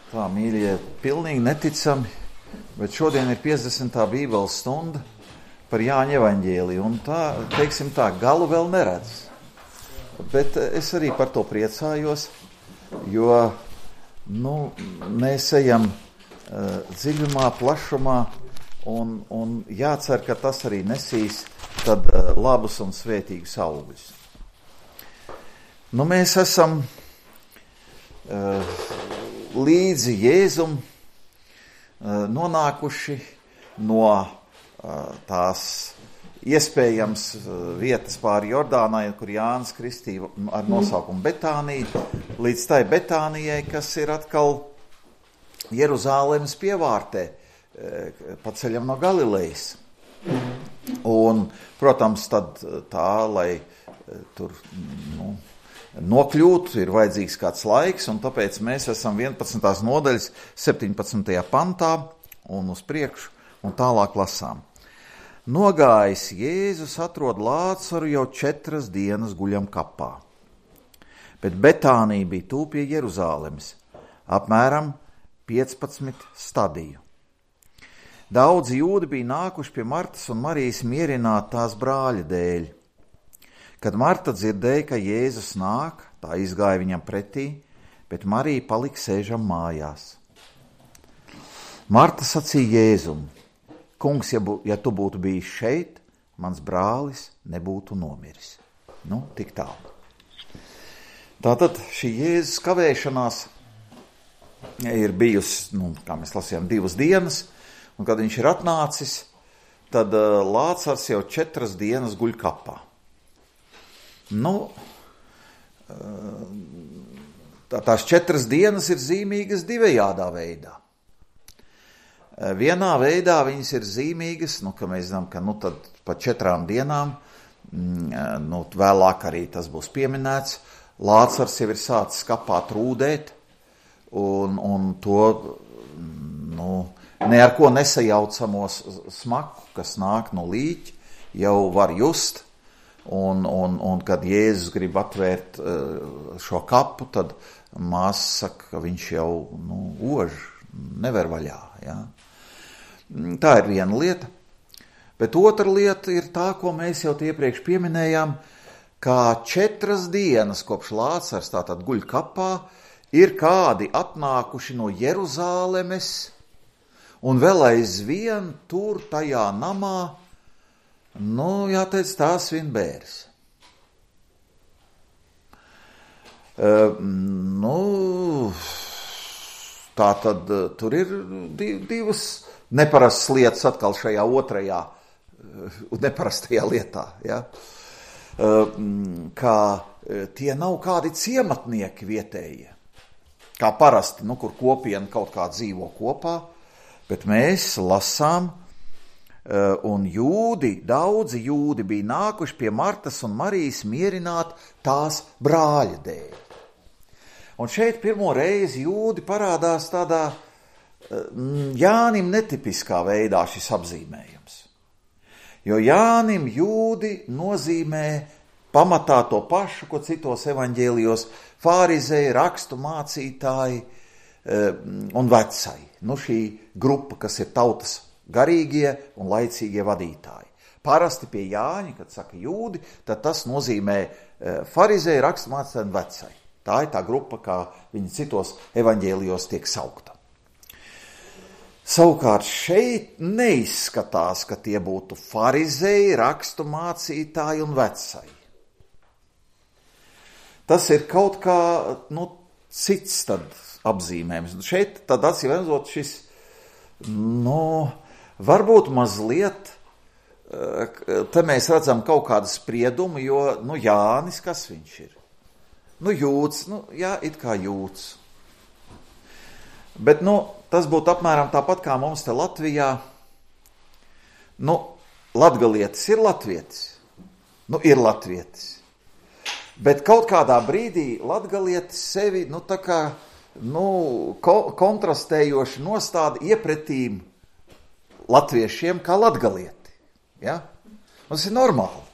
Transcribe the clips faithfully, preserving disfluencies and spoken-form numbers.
Tā, mīļie, pilnīgi neticami, bet šodien ir piecdesmitā bībeles stunda par Jāņa evaņģēliju, un tā, teiksim tā, galu vēl neredz. Bet es arī par to priecājos, jo, nu, mēs ejam uh, dziļumā, plašumā, un, un jācer, ka tas arī nesīs tad uh, labus un svētīgus augļus. Nu, mēs esam uh, līdzi Jēzum uh, nonākuši no uh, tās iespējams uh, vietas pāri Jordānai, kur Jānis kristīja ar nosaukumu Betānija, līdz tai Betānijai, kas ir atkal Jeruzālemes pievārtē, uh, pa ceļam no Galilejas. Un, protams, tad tā, lai uh, tur, nu, nokļūt, ir vajadzīgs kāds laiks, un tāpēc mēs esam vienpadsmitās nodaļas septiņpadsmitajā pantā un uz priekšu, un tālāk lasām. Nogājis Jēzus atrod Lācaru jau četras dienas guļam kapā, bet Betānija bija tūp pie Jeruzālemes, apmēram piecpadsmit stadiju. Daudzi jūdi bija nākuši pie Martas un Marijas mierināt tās brāļa dēļ. Kad Marta dzirdēja, ka Jēzus nāk, tā izgāja viņam pretī, bet Marija palika sēžam mājās. Marta sacīja Jēzum: Kungs, ja, bu, ja tu būtu bijis šeit, mans brālis nebūtu nomiris. Nu, tik tālu. Tātad šī Jēzus kavēšanās ir bijusi, nu, kā mēs lasījām, divas dienas, un kad viņš ir atnācis, tad uh, Lācars jau četras dienas guļ kapā. Nu, tā, tās četras dienas ir zīmīgas divējādā veidā. Vienā veidā viņas ir zīmīgas, nu, ka mēs zinām, ka nu, tad pa četrām dienām, nu, vēlāk arī tas būs pieminēts, Lācars jau ir sācis kapā trūdēt, un, un to, nu, ne ar ko nesajaucamos smaku, kas nāk no līķa, jau var just. Un, un, un kad Jēzus grib atvērt uh, šo kapu, tad māsa saka, ka viņš jau nu, ož, never vaļā. Ja? Tā ir viena lieta. Bet otra lieta ir tā, ko mēs jau iepriekš pieminējām, kā četras dienas kopš Lācars tātad guļ kapā, ir kādi atnākuši no Jeruzālemes un vēl aizvien tur tajā namā. Nu, jāteic, tās vien bēres. Uh, nu, tā tad uh, tur ir div, divas neparastas lietas atkal šajā otrajā uh, neparastajā lietā. Ja? Uh, kā uh, tie nav kādi ciematnieki vietējie, kā parasti, nu, kur kopiena kaut kā dzīvo kopā, bet mēs lasām, un jūdi, daudzi jūdi bija nākuši pie Martas un Marijas mierināt tās brāļa dēļ. Un šeit pirmo reizi jūdi parādās tādā Jānim netipiskā veidā šis apzīmējums. Jo Jānim jūdi nozīmē pamatā to pašu, ko citos evaņģēlijos fārizēji, rakstu mācītāji un vecai. Nu, šī grupa, kas ir tautas garīgie un laicīgie vadītāji. Parasti pie Jāņa, kad saka jūdi, tad tas nozīmē farizēju, raksturmācītāju un vecai. Tā ir tā grupa, kā viņi citos evaņģēlijos tiek saukta. Savukārt šeit neizskatās, ka tie būtu farizēji, raksturmācītāji un vecai. Tas ir kaut kā, nu, cits tad apzīmējums. Šeit tad acīmredzot šis, nu, varbūt mazliet, te mēs redzam kaut kādu spriedumu, jo, nu, Jānis, kas viņš ir? Nu, jūds, nu, jā, it kā jūds. Bet, nu, tas būtu apmēram tāpat kā mums te Latvijā. Nu, latgalietis ir latvietis. Nu, ir latvietis. Bet kaut kādā brīdī latgalietis sevi, nu, tā kā, nu, ko, kontrastējoši nostāda iepretīm latviešiem kā latgalieti. Ja? Tas ir normāli.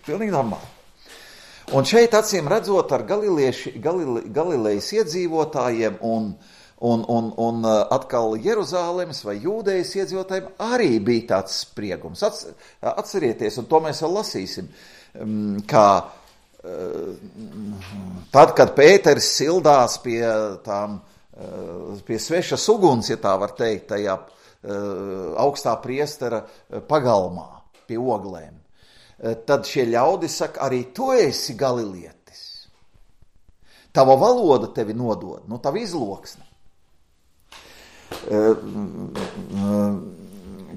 Pilnīgi normāli. Un šeit acīm redzot ar galilieši, galile, Galilejas iedzīvotājiem un, Un, un, un atkal Jeruzālemes vai Jūdejas iedzīvotājiem arī bija tāds spriegums. Atcerieties, un to mēs vēl lasīsim, kā tad, kad Pēteris sildās pie tām, pie svešas uguns, ja tā var teikt, tajā augstā priestera pagalmā pie oglēm, tad šie ļaudi saka, arī tu esi galilietis. Tava valoda tevi nodod, nu tava izloksne.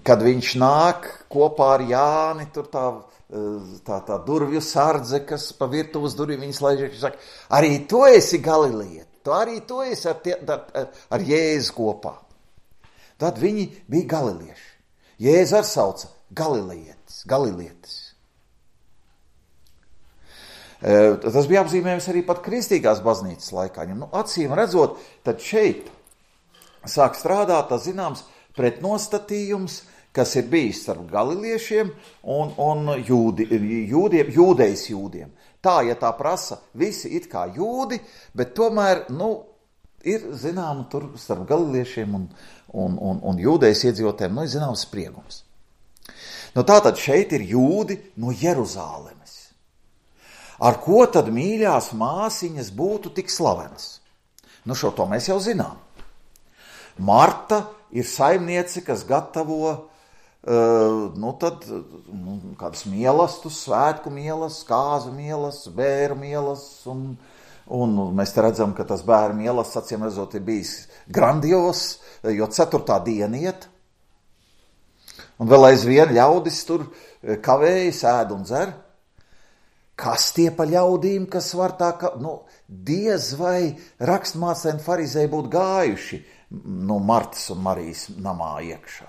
Kad viņš nāk kopā ar Jāni, tur tā, tā, tā durvju sardze, kas pa virtuves durvīm viņas laiž, viņš saka, arī tu esi galilieti, tu arī tu esi ar, tie, ar, ar Jēzu kopā. Tad viņi bija galilieši. Jēzu ar sauca galilietis, galilietis. Tas bija apzīmējums arī pat kristīgās baznīcas laikā. Nu, acīm redzot, tad šeit sāk strādāt, tas zināms, pretnostatījums, kas ir bijis starp galiliešiem un, un jūdi, jūdiem, jūdejas jūdiem. Tā, ja tā prasa, visi it kā jūdi, bet tomēr, nu, ir zinām, tur starp galiliešiem un, un, un, un jūdejas iedzīvotājiem, nu, ir zināms spriegums. Nu, tātad šeit ir jūdi no Jeruzālemes. Ar ko tad mīļās māsiņas būtu tik slavenas? Nu, šo to mēs jau zinām. Marta ir saimniece, kas gatavo uh, nu tad, nu, kādas mielastus, svētku mielas, kāzu mielas, bēru mielas, un, un mēs te redzam, ka tas bēru mielas, acīm redzot, ir bijis grandios, jo ceturtā diena iet, un vēl aizvien ļaudis tur kavējas, ēd un dzer. Kas tie pa ļaudīm, kas var tā, ka, nu, diez vai rakstmācēji un farizēji būtu gājuši, nu, Martas un Marijas namā iekšā.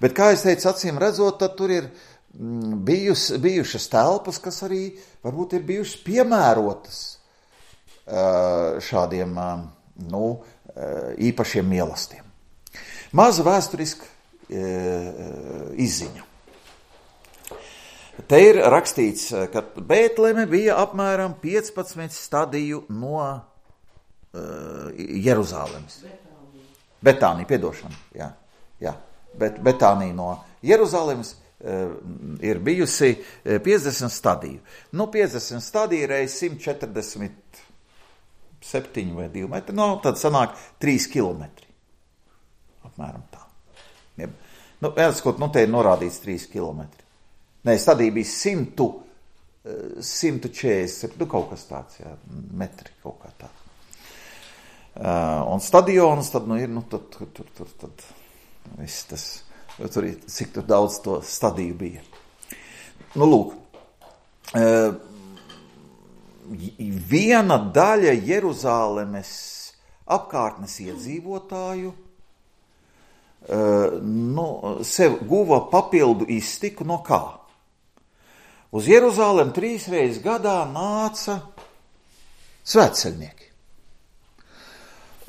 Bet, kā es teicu, acīm redzot, tad tur ir bijus, bijušas telpas, kas arī varbūt ir bijušas piemērotas šādiem, nu, īpašiem mielastiem. Maza vēsturiska izziņa. Te ir rakstīts, ka Bētleme bija apmēram piecpadsmit stadiju no uh, Jeruzālemes. Betānija, piedošana, jā, jā. Bet Betānija no Jeruzālemes uh, ir bijusi piecdesmit stadiju. Nu, piecdesmit stadiju reiz simt četrdesmit septiņi vai divi metri, no, tad sanāk trīs kilometri. Apmēram tā. Ja. Nu, jāskot, nu, te ir norādīts trīs kilometri. Nē, stadija bija simtu, simtu četrdesmit, nu kaut kas tāds, jā, metri kaut kā tā. Uh, un stadions tad, nu, ir, nu, tad, tur, tur, tur, tad, viss tas, tur ir, cik tur daudz to stadiju bija. Nu, lūk, uh, viena daļa Jeruzālemes apkārtnes iedzīvotāju uh, nu, sev guva papildu iztiku no kā? Uz Jeruzālem trīs reizes gadā nāca svētceļnieki.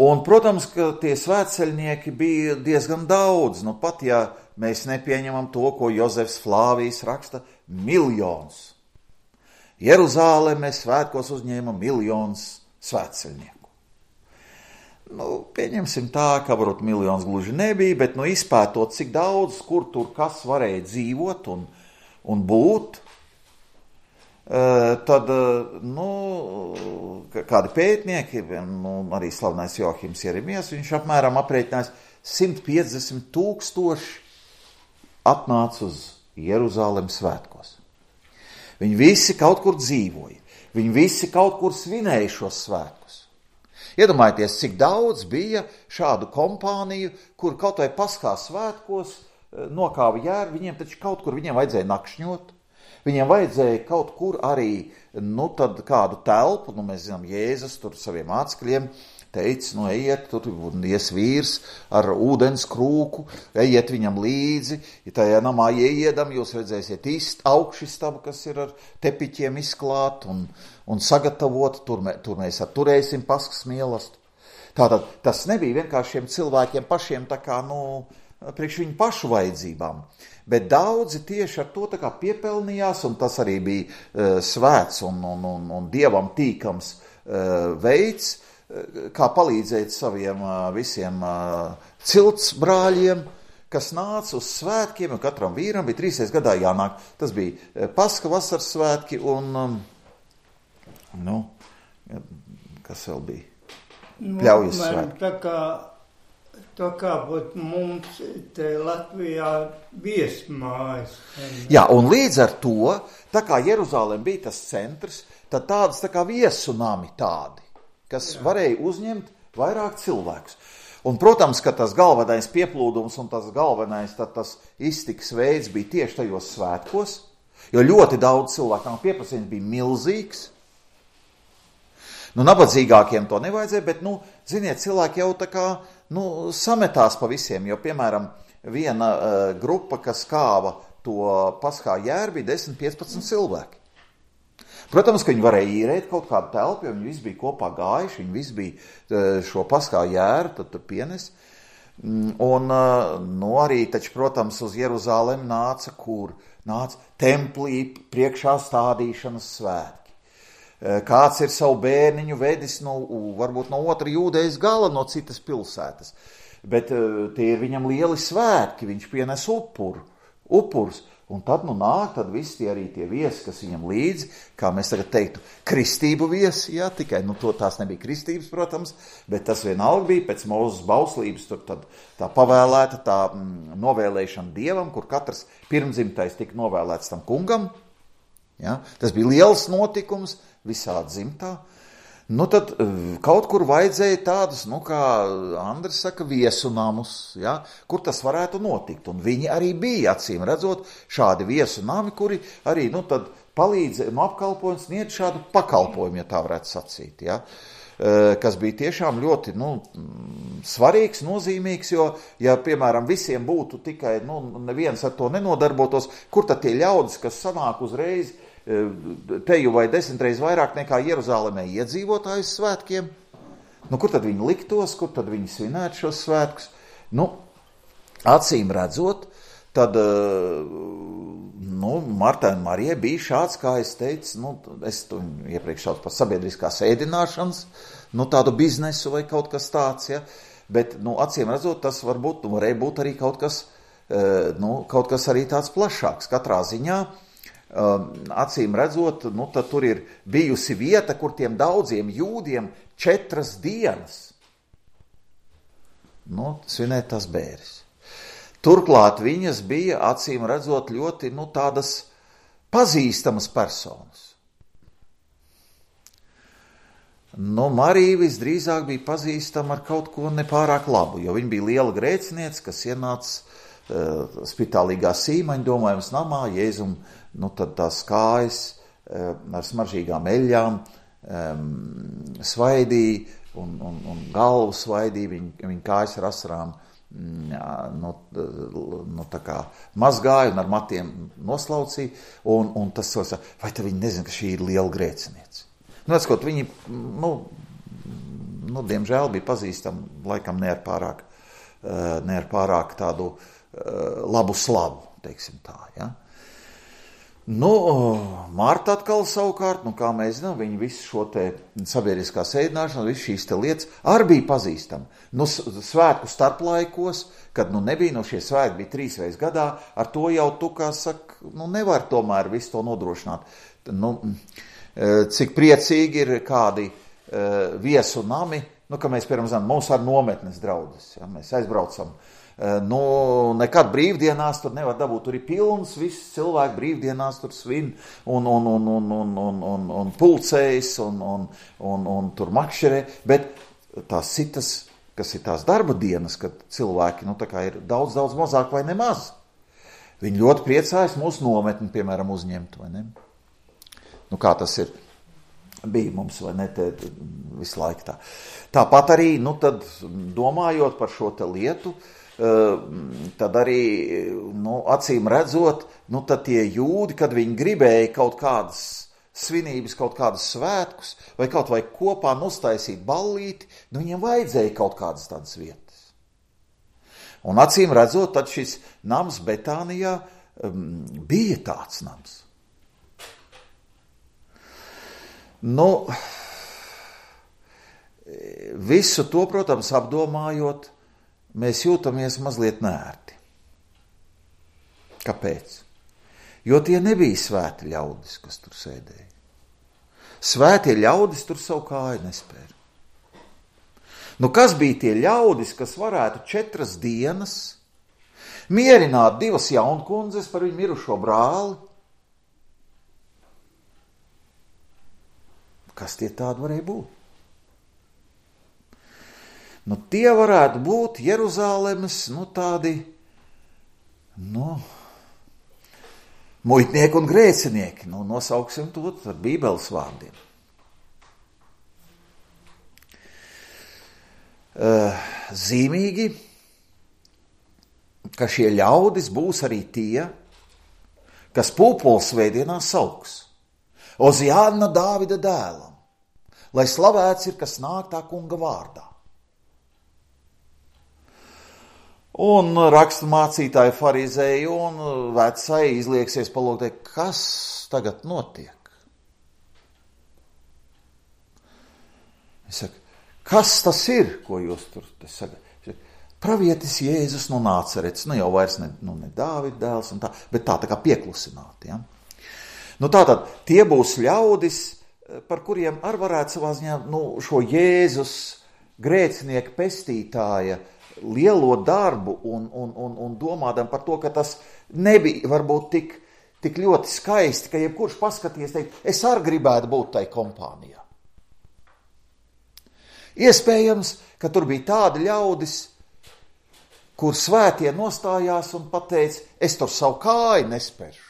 Un, protams, ka tie svētceļnieki bija diezgan daudz. Nu, pat ja mēs nepieņemam to, ko Jozefs Flāvijs raksta, miljons. Jeruzāleme svētkos uzņēma miljons svētceļnieku. Nu, pieņemsim tā, ka varbūt miljons gluži nebija, bet nu, izpētot, cik daudz, kur tur kas varēja dzīvot un, un būt, tad, nu, kādi pētnieki, nu, arī slavenais Joahims Jeremijas, viņš apmēram aprēķinājis simt piecdesmit tūkstoši atnāca uz Jeruzālem svētkos. Viņi visi kaut kur dzīvoja, viņi visi kaut kur svinēja šos svētkus. Iedomājieties, cik daudz bija šādu kompāniju, kur kaut vai Paskā svētkos nokāva jēru, viņiem taču kaut kur viņiem vajadzēja nakšņot. Viņiem vajadzēja kaut kur arī, nu, tad kādu telpu, nu, mēs zinām, Jēzus tur saviem mācekļiem teica, nu, ejiet, tur ies vīrs ar ūdens krūku, ejiet viņam līdzi, ja tajā namā ieiedam, jūs redzēsiet ist, augšistabu, kas ir ar tepiķiem izklāt un, un sagatavot, tur, mē, tur mēs turēsim Paskas mielastu. Tātad tas nebija vienkārši šiem cilvēkiem pašiem tā kā, nu, priekš viņu pašu vajadzībām. Bet daudzi tieši ar to tā kā piepelnījās, un tas arī bija uh, svēts un, un, un, un dievam tīkams uh, veids, kā palīdzēt saviem visiem cilts brāļiem, kas nāca uz svētkiem, un katram vīram bija trīsreiz gadā jānāk. Tas bija Paska vasaras svētki un, nu, kas vēl bija? Pļaujas nu, svētki. Tā kā, tā kā būt mums te Latvijā viesmājas. Jā, un līdz ar to, tā kā Jeruzālēm bija tas centrs, tad tādas tā kā viesu nami tādi, kas Jā. Varēja uzņemt vairāk cilvēkus. Un, protams, ka tas galvenais pieplūdums un tas galvenais tad tas iztikas veids bija tieši tajos svētkos, jo ļoti daudz cilvēku pieprasījums bija milzīgs. Nu, nabadzīgākiem to nevajadzēja, bet, nu, ziniet, cilvēki jau tā kā, nu, sametās pa visiem, jo, piemēram, viena uh, grupa, kas kāva to paskā jēru, bija desmit piecpadsmit cilvēki. Protams, ka viņi varēja īrēt kaut kādu telpu, jo viņi visi bija kopā gājuši, viņi visi bija šo paskā jēru, tad tur pienes. Un, nu, arī, taču, protams, uz Jeruzālem nāca kur? Nāca templī priekšā stādīšanas svētki. Kāds ir savu bērniņu vedis, no, varbūt no otra jūdejas gala, no citas pilsētas. Bet tie ir viņam lieli svētki, viņš pienes upuru, upurus. Un tad, nu, nāk, tad visi tie arī tie viesi, kas viņam līdzi, kā mēs tagad teiktu, kristību viesi, jā, tikai, nu, to tās nebija kristības, protams, bet tas vienalga bija pēc Mūzes bauslības, tur tad tā pavēlēta, tā mm, novēlēšana Dievam, kur katrs pirmdzimtais tika novēlēts tam kungam, jā, tas bija liels notikums visā dzimtā. Nu, tad kaut kur vajadzēja tādus, nu, kā Andris saka, viesu namus, ja, kur tas varētu notikt. Un viņi arī bija, acīm redzot, šādi viesu nami, kuri arī, nu, tad palīdzēja, nu, apkalpojums sniedz šādu pakalpojumu, ja tā varētu sacīt, ja, kas bija tiešām ļoti, nu, svarīgs, nozīmīgs, jo, ja, piemēram, visiem būtu tikai, nu, neviens ar to nenodarbotos, kur tad tie ļaudis, kas sanāk uzreiz, teju vai desmitreiz vairāk nekā Jeruzālēmē iedzīvotājus svētkiem. Nu, kur tad viņi liktos, kur tad viņi svinētu šos svētkus? Nu, acīm redzot, tad, nu, Martai un Marijai bija šāds, kā es teicu, nu, es to iepriekš saucu par sabiedriskās ēdināšanas, nu, tādu biznesu vai kaut kas tāds, ja, bet, nu, acīm redzot, tas varbūt, nu, varēja būt arī kaut kas, nu, kaut kas arī tāds plašāks. Katrā ziņā, acīm redzot, nu, tad tur ir bijusi vieta, kur tiem daudziem jūdiem četras dienas, nu, svinēt tas bēris. Turklāt viņas bija, acīm redzot, ļoti, nu, tādas pazīstamas personas. Nu, Marija visdrīzāk bija pazīstama ar kaut ko nepārāk labu, jo viņa bija liela grēciniece, kas ienāca uh, spitālīgā sīmaņa domājums namā, Jēzum, nu, tad tās kājas uh, ar smaržīgām eļļām um, svaidīja un, un, un galvu svaidīja, viņa, viņa kājas ar asarām jā, nu, nu, tā kā mazgāja un ar matiem noslaucīja, un, un tas so, vai tad viņi nezina, ka šī ir liela grēciniece. Nu, atskot, viņi, nu, nu, diemžēl bija pazīstami, laikam ne ar pārāk, ne ar pārāk tādu labu slavu, teiksim tā, ja. Nu, Marta atkal savukārt, nu, kā mēs zinām, viņi visu šo te sabiedriskā ēdināšanu, visu šīs te lietas arī bija pazīstami. Nu, svētku starplaikos, kad, nu, nebija, nu, šie svētki bija trīsreiz gadā, ar to jau tu, kā saka, nu, nevar tomēr visu to nodrošināt. Nu, cik priecīgi ir kādi uh, viesu nami, nu, ka mēs, piemēram, zinām, mums ar nometnes draudzes, ja, mēs aizbraucam, uh, nu, nekad brīvdienās tur nevar dabūt, tur ir pilns, viss cilvēki brīvdienās tur svin un, un, un, un, un, un, un, un pulcējas un, un, un, un tur makšerē, bet tās citas, kas ir tās darba dienas, kad cilvēki, nu, tā kā ir daudz, daudz mazāk vai nemaz, viņi ļoti priecājas mūsu nometni, piemēram, uzņemt, vai ne? Nu, kā tas ir, bija mums, vai ne, te visu laiku tā. Tāpat arī, nu, tad domājot par šo te lietu, tad arī, nu, acīm redzot, nu, tad tie jūdi, kad viņi gribēja kaut kādas svinības, kaut kādas svētkus, vai kaut vai kopā nostaisīt ballīti, nu, viņiem vajadzēja kaut kādas tādas vietas. Un acīm redzot, tad šis nams Betānijā um, bija tāds nams. Nu, visu to, protams, apdomājot, mēs jūtamies mazliet neērti. Kāpēc? Jo tie nebija svēti ļaudis, kas tur sēdēja. Svētie ļaudis tur savu kāju nespēra. Nu, kas bija tie ļaudis, kas varētu četras dienas mierināt divas jaunkundzes par viņu mirušo brāli? Kas tie tādi varēja būt? Nu, tie varētu būt Jeruzālemes, nu, tādi, nu, muitnieki un grēcinieki. Nu, nosauksim to ar Bībeles vārdiem. Uh, zīmīgi, ka šie ļaudis būs arī tie, kas pūpoles svētdienā sauks Oziāna Dāvida dēlam, lai slavēts ir, kas nāk tā kunga vārdā. Un rakstu mācītāji, farizēji un vecai izlieksies palūgt, kas tagad notiek? Es saku, kas tas ir, ko jūs tur sagat? Pravietis Jēzus no Nācerets, nu jau vairs ne, nu, ne Dāvida dēls, un tā, bet tā tā kā pieklusināti. Ja? Nu tātad, tie būs ļaudis, par kuriem ar varētu savā ziņā nu, šo Jēzus grēcinieka pestītāja lielo darbu un, un, un, un domādam par to, ka tas nebija varbūt tik, tik ļoti skaisti, ka jebkurš paskaties teikt, es arī gribētu būt tai kompānijā. Iespējams, ka tur bija tādi ļaudis, kur svētie nostājās un pateica, es tur savu kāju nespēršu.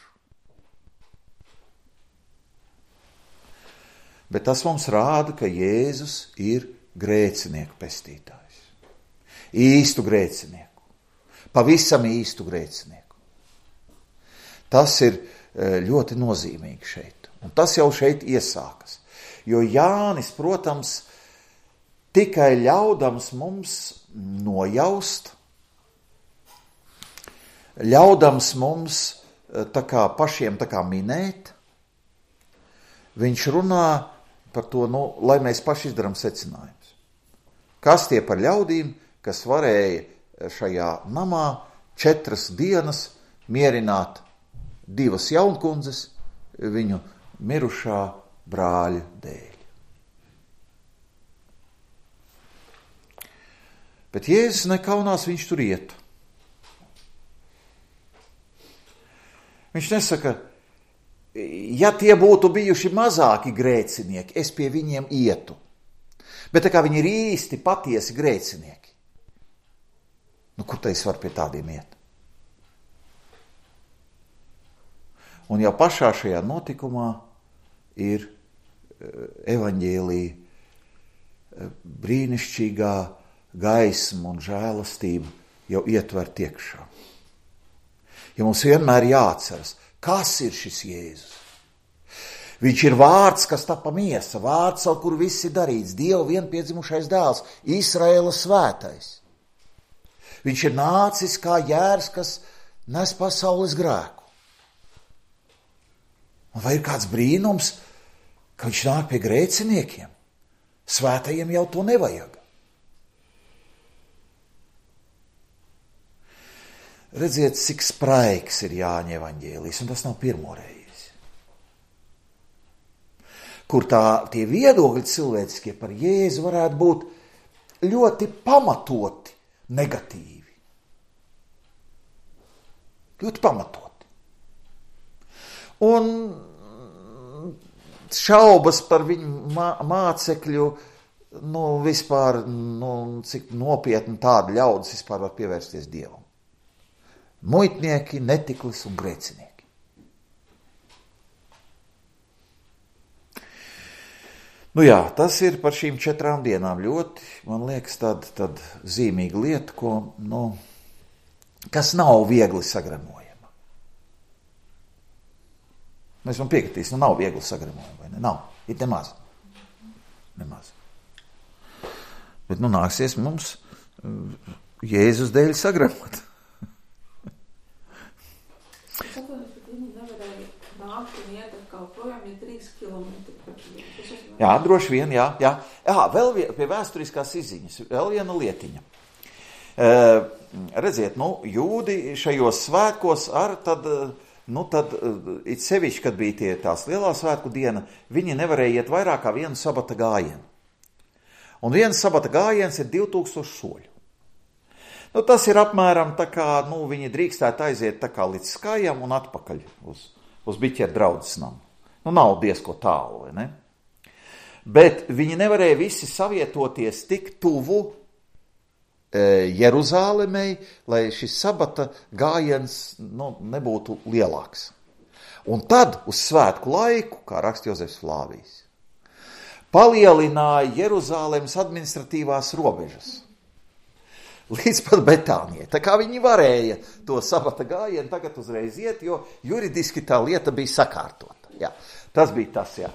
Bet tas mums rāda, ka Jēzus ir grēcinieku pestītājs. Īstu grēcinieku. Pavisam īstu grēcinieku. Tas ir ļoti nozīmīgi šeit. Un tas jau šeit iesākas. Jo Jānis, protams, tikai ļaudams mums nojaust, ļaudams mums tā kā pašiem tā kā minēt, viņš runā par to, nu, lai mēs paši izdarām secinājumus. Kas tie par ļaudīm, kas varēja šajā namā četras dienas mierināt divas jaunkundzes viņu mirušā brāļa dēļ. Bet Jēzus nekaunās, viņš tur iet. Viņš nesaka, ja tie būtu bijuši mazāki grēcinieki, es pie viņiem ietu. Bet tā kā viņi ir īsti patiesi grēcinieki, nu, kur tā es varu pie tādiem iet? Un jau pašā šajā notikumā ir evaņģēlija brīnišķīgā gaisma un žēlastība jau ietver iekšā. Ja mums vienmēr jāatceras, kas ir šis Jēzus? Viņš ir vārds, kas tapa miesa, vārds, ar kuru viss ir darīts, Dieva vienpiedzimušais dēls, Izraēla svētais. Viņš ir nācis kā jērs, kas nes pasaules grēku. Un vai ir kāds brīnums, ka viņš nāk pie grēciniekiem? Svētajiem jau to nevajag. Redziet, cik spraigs ir Jāņa evaņģēlijs, un tas nav pirmo reizi. Kur tā, tie viedokļi cilvēciskie par Jēzu varētu būt ļoti pamatoti negatīvi. Ļoti pamatoti. Un šaubas par viņu mācekļu, nu, vispār, nu, cik nopietni tādi ļaudis vispār var pievērsties Dievam. Muitnieki, netiklis un grēcinieki. Nu jā, tas ir par šīm četrām dienām ļoti, man liekas, tad, tad zīmīga lieta, ko, nu, kas nav viegli sagramojama. Mēs man piekritīs, nu nav viegli sagramojama, vai ne? Nav, ir nemaz. Nemaz. Bet, nu, nāksies mums Jēzus dēļ sagramot. Jā, droši vien, jā, jā. Jā, vēl vien, pie vēsturiskās izziņas, vēl viena lietiņa. Uh, redziet, nu, jūdi šajos svētkos ar tad, nu, tad it sevišķi, kad bija tie tās lielā svētku diena, viņi nevarēja iet vairāk kā vienu sabata gājienu. Un viens sabata gājiens ir divi tūkstoši soļu. Nu, tas ir apmēram tā kā, nu, viņi drīkstētu aiziet tā kā līdz skājam un atpakaļ uz, uz biķeru draudzes namu. Nu, nav diezko tālu, vai ne? Bet viņi nevarēja visi savietoties tik tuvu Jeruzālemei, lai šis sabata gājiens nu, nebūtu lielāks. Un tad uz svētku laiku, kā raksta Jozefs Flāvijs, palielināja Jeruzālemes administratīvās robežas līdz pat Betānijai. Tā kā viņi varēja to sabata gājienu tagad uzreiz iet, jo juridiski tā lieta bija sakārtota. Jā, tas bija tas, jā.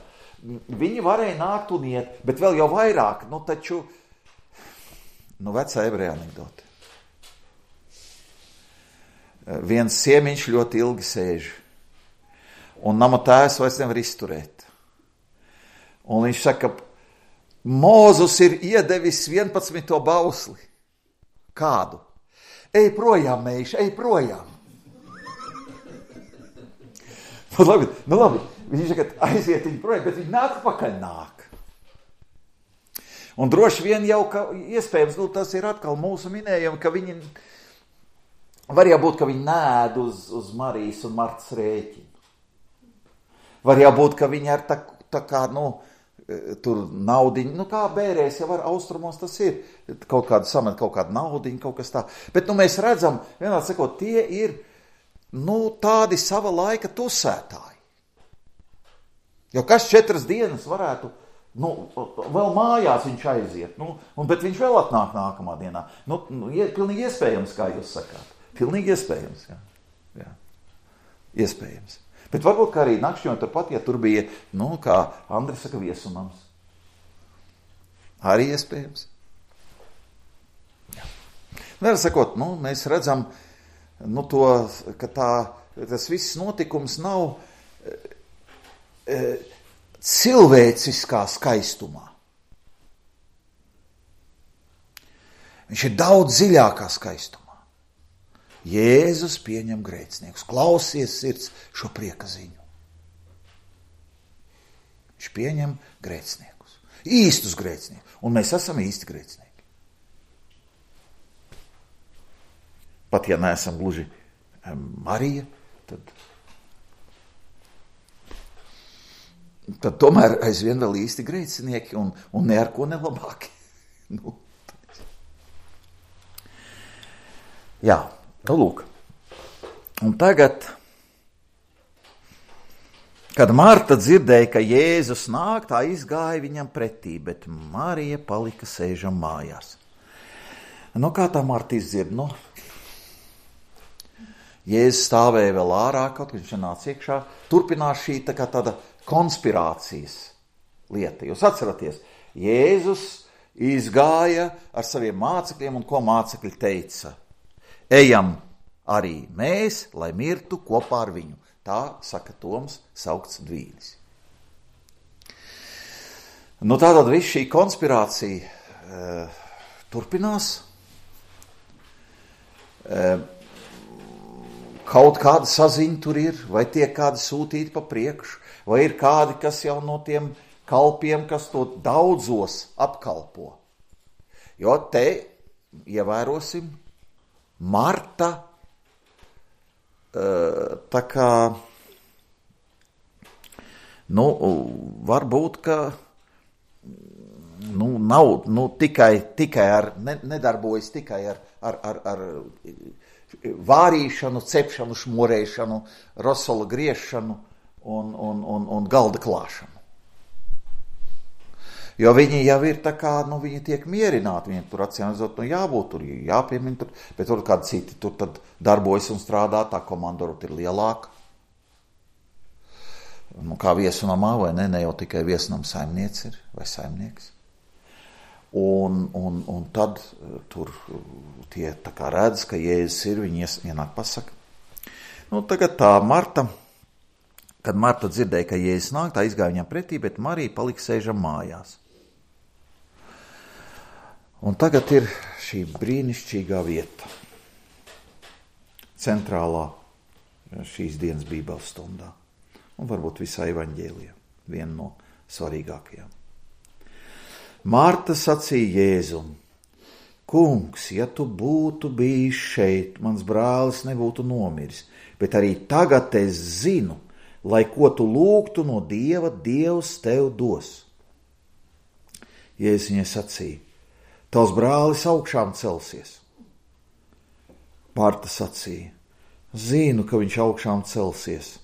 Viņi varēja nākt un iet, bet vēl jau vairāk, nu taču Nu, vecā ebreja anekdote. Viens siemiņš ļoti ilgi sēž, un nama tēvs vairs nevar izturēt. Un viņš saka, Mūzus ir iedevis vienpadsmito bausli. Kādu? Ej projām, meiš, ej projām. Nu labi, nu labi. Viņš saka, aiziet viņu projām, bet viņi nāk pakaļ nāk. Un droši vien jau, ka iespējams, nu, tas ir atkal mūsu minējumi, ka viņi, var jābūt, ka viņi nēd uz, uz Marijas un Martas rēķinu. Var jābūt, ka viņi ar tā, tā kā, nu, tur naudiņu, nu, kā bērēs, jau ar austrumos tas ir, kaut kādu samet, kaut kādu naudiņu, kaut kas tā. Bet, nu, mēs redzam, vienādi sakot, tie ir, nu, tādi sava laika tusētāji. Jo kas četras dienas varētu Nu, vēl mājās viņš aiziet, nu, un, bet viņš vēl atnāk nākamā dienā. Nu, nu, pilnīgi iespējams, kā jūs sakāt. Pilnīgi iespējams, jā. jā. Iespējams. Bet varbūt, kā arī nakšņot turpat, ja tur bija, nu, kā Andris saka, viesumams. Arī iespējams. Jā. Nevar sakot, nu, mēs redzam, nu, to, ka tā, tas viss notikums nav... E, e, cilvēciskā skaistumā. Viņš ir daudz dziļākā skaistumā. Jēzus pieņem grēciniekus. Klausies sirds šo prieka ziņu. Viņš pieņem grēciniekus. Īstus grēciniekus. Un mēs esam īsti grēcinieki. Pat ja neesam gluži Marija, tad... tad tomēr aizvien vēl īsti grēcinieki un, un ne ar ko nelabāki. nu. Jā, nu lūk. Un tagad, kad Marta dzirdēja, ka Jēzus nāk, tā izgāja viņam pretī, bet Marija palika sēžam mājās. Nu, kā tā Marta izdzird? Nu, Jēzus stāvēja vēl ārā, kaut kad viņš nāca iekšā, turpinās šī tā kā tāda konspirācijas lieta. Jūs atceraties, Jēzus izgāja ar saviem mācekļiem un ko mācekļi teica? Ejam arī mēs, lai mirtu kopā ar viņu. Tā saka Toms saukts Dvīlis. Nu tātad viss šī konspirācija e, turpinās. E, kaut kāda saziņa tur ir, vai tiek kādi sūtīti pa priekšu, vai ir kādi, kas jau no tiem kalpiem, kas to daudzos apkalpo. Jo te, ievērosim, Marta tā kā, nu, varbūt, ka nu, nav nu, tikai, tikai ar, ne, nedarbojas tikai ar, ar, ar, ar vārīšanu, cepšanu, šmorēšanu, rosola griešanu, Un, un, un, un galda klāšanu. Jo viņi jau ir tā kā, nu, viņi tiek mierināti, viņi tur acīmredzot, nu, jābūt tur, jāpiemina tur, bet tur kādi citi tur tad darbojas un strādā, tā komanda ir lielāka. Nu, kā viesunamā, vai ne, ne jau tikai viesunam saimniece ir, vai saimnieks. Un, un, un tad tur tie tā kā redz, ka Jēzus ir, viņi ienāk pasaka. Nu, tagad tā Marta... Kad Marta dzirdēja, ka Jēzus nāk, tā izgāja viņam pretī, bet Marija palika sēžam mājās. Un tagad ir šī brīnišķīgā vieta, centrālā šīs dienas bībeles stundā, un varbūt visā evaņģēlijā, viena no svarīgākajām. Marta sacīja Jēzum: Kungs, ja tu būtu bijis šeit, mans brālis nebūtu nomiris, bet arī tagad es zinu, lai ko tu lūgtu no Dieva, Dievs tev dos. Jēzus viņai sacīja: Tavs brālis augšām celsies. Marta sacīja: Zinu, ka viņš augšām celsies,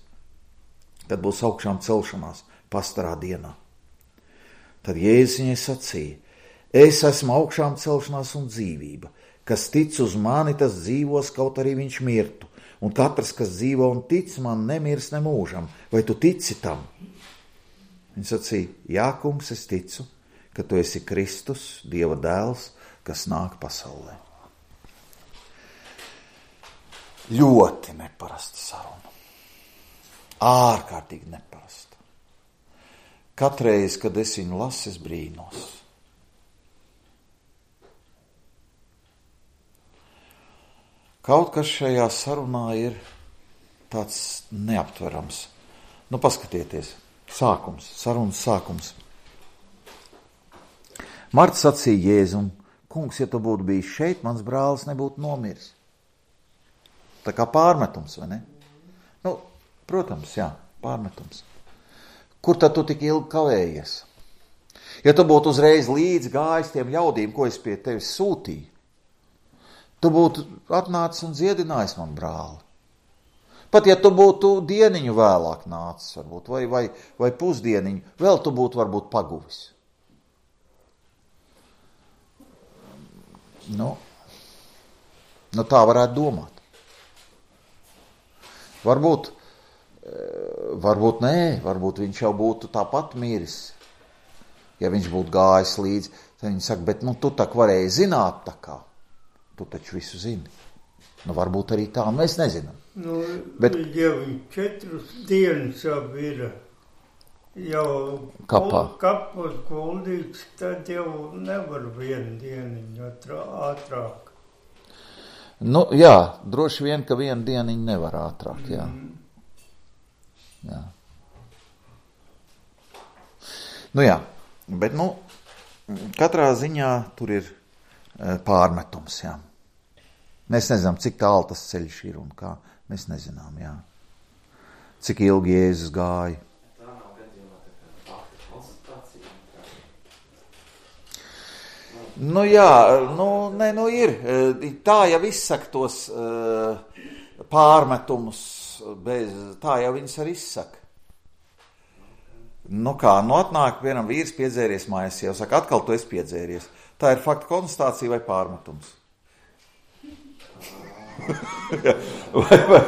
kad būs augšām celšanās pastarā dienā. Tad Jēzus viņai sacīja: Es esmu augšām celšanās un dzīvība. Kas tic uz mani, tas dzīvos, kaut arī viņš mirtu. Un katrs, kas dzīvo un tic man, nemirs nemūžam. Vai tu tici tam? Viņa sacīja: Jā, kungs, es ticu, ka tu esi Kristus, Dieva dēls, kas nāk pasaulē. Ļoti neparasta saruna. Ārkārtīgi neparasta. Katreiz, kad es viņu lasu, es brīnos. Kaut kas šajā sarunā ir tāds neaptverams. Nu, paskatieties, sākums, sarunas sākums. Marta sacīja Jēzum: Kungs, ja tu būtu bijis šeit, mans brālis nebūtu nomiris. Tā kā pārmetums, vai ne? Nu, protams, jā, pārmetums. Kur tad tu tik ilgi kavējies? Ja tu būtu uzreiz līdz gājis tiem ļaudīm, ko es pie tevis sūtīju, tu būtu atnācis un dziedinājis man brāli. Pat ja tu būtu dieniņu vēlāk nācis, varbūt, vai, vai, vai pusdieniņu, vēl tu būtu varbūt paguvis. Nu, nu tā varētu domāt. Varbūt, varbūt nē, varbūt viņš jau būtu tāpat miris. Ja viņš būtu gājis līdzi, tad viņi saka: Bet nu tu tā varēji zināt tā kā. Tu taču visu zini. Nu, varbūt arī tā, mēs nezinām. Nu, Bet, ja viņš četras dienas jau ir jau kapā. kapos guldīts, tad jau nevar vienu dieniņu ātrāk. Nu, jā, droši vien, ka vienu dieniņu nevar ātrāk, jā. Jā. Nu jā, bet, nu, katrā ziņā tur ir pārmetums, jā. Mēs nezinām, cik tālu tas ceļš ir un kā. Mēs nezinām, jā. Cik ilgi Jēzus gāja. Nu jā, nu, ne, nu ir. Tā jau izsaka tos uh, pārmetumus, bez, tā jau viņas arī izsaka. Nu kā, nu atnāk vienam vīrs piedzēries mājās, jau saka: Atkal tu esi piedzēries. Tā ir fakta konstatācija vai pārmetums? vai, vai,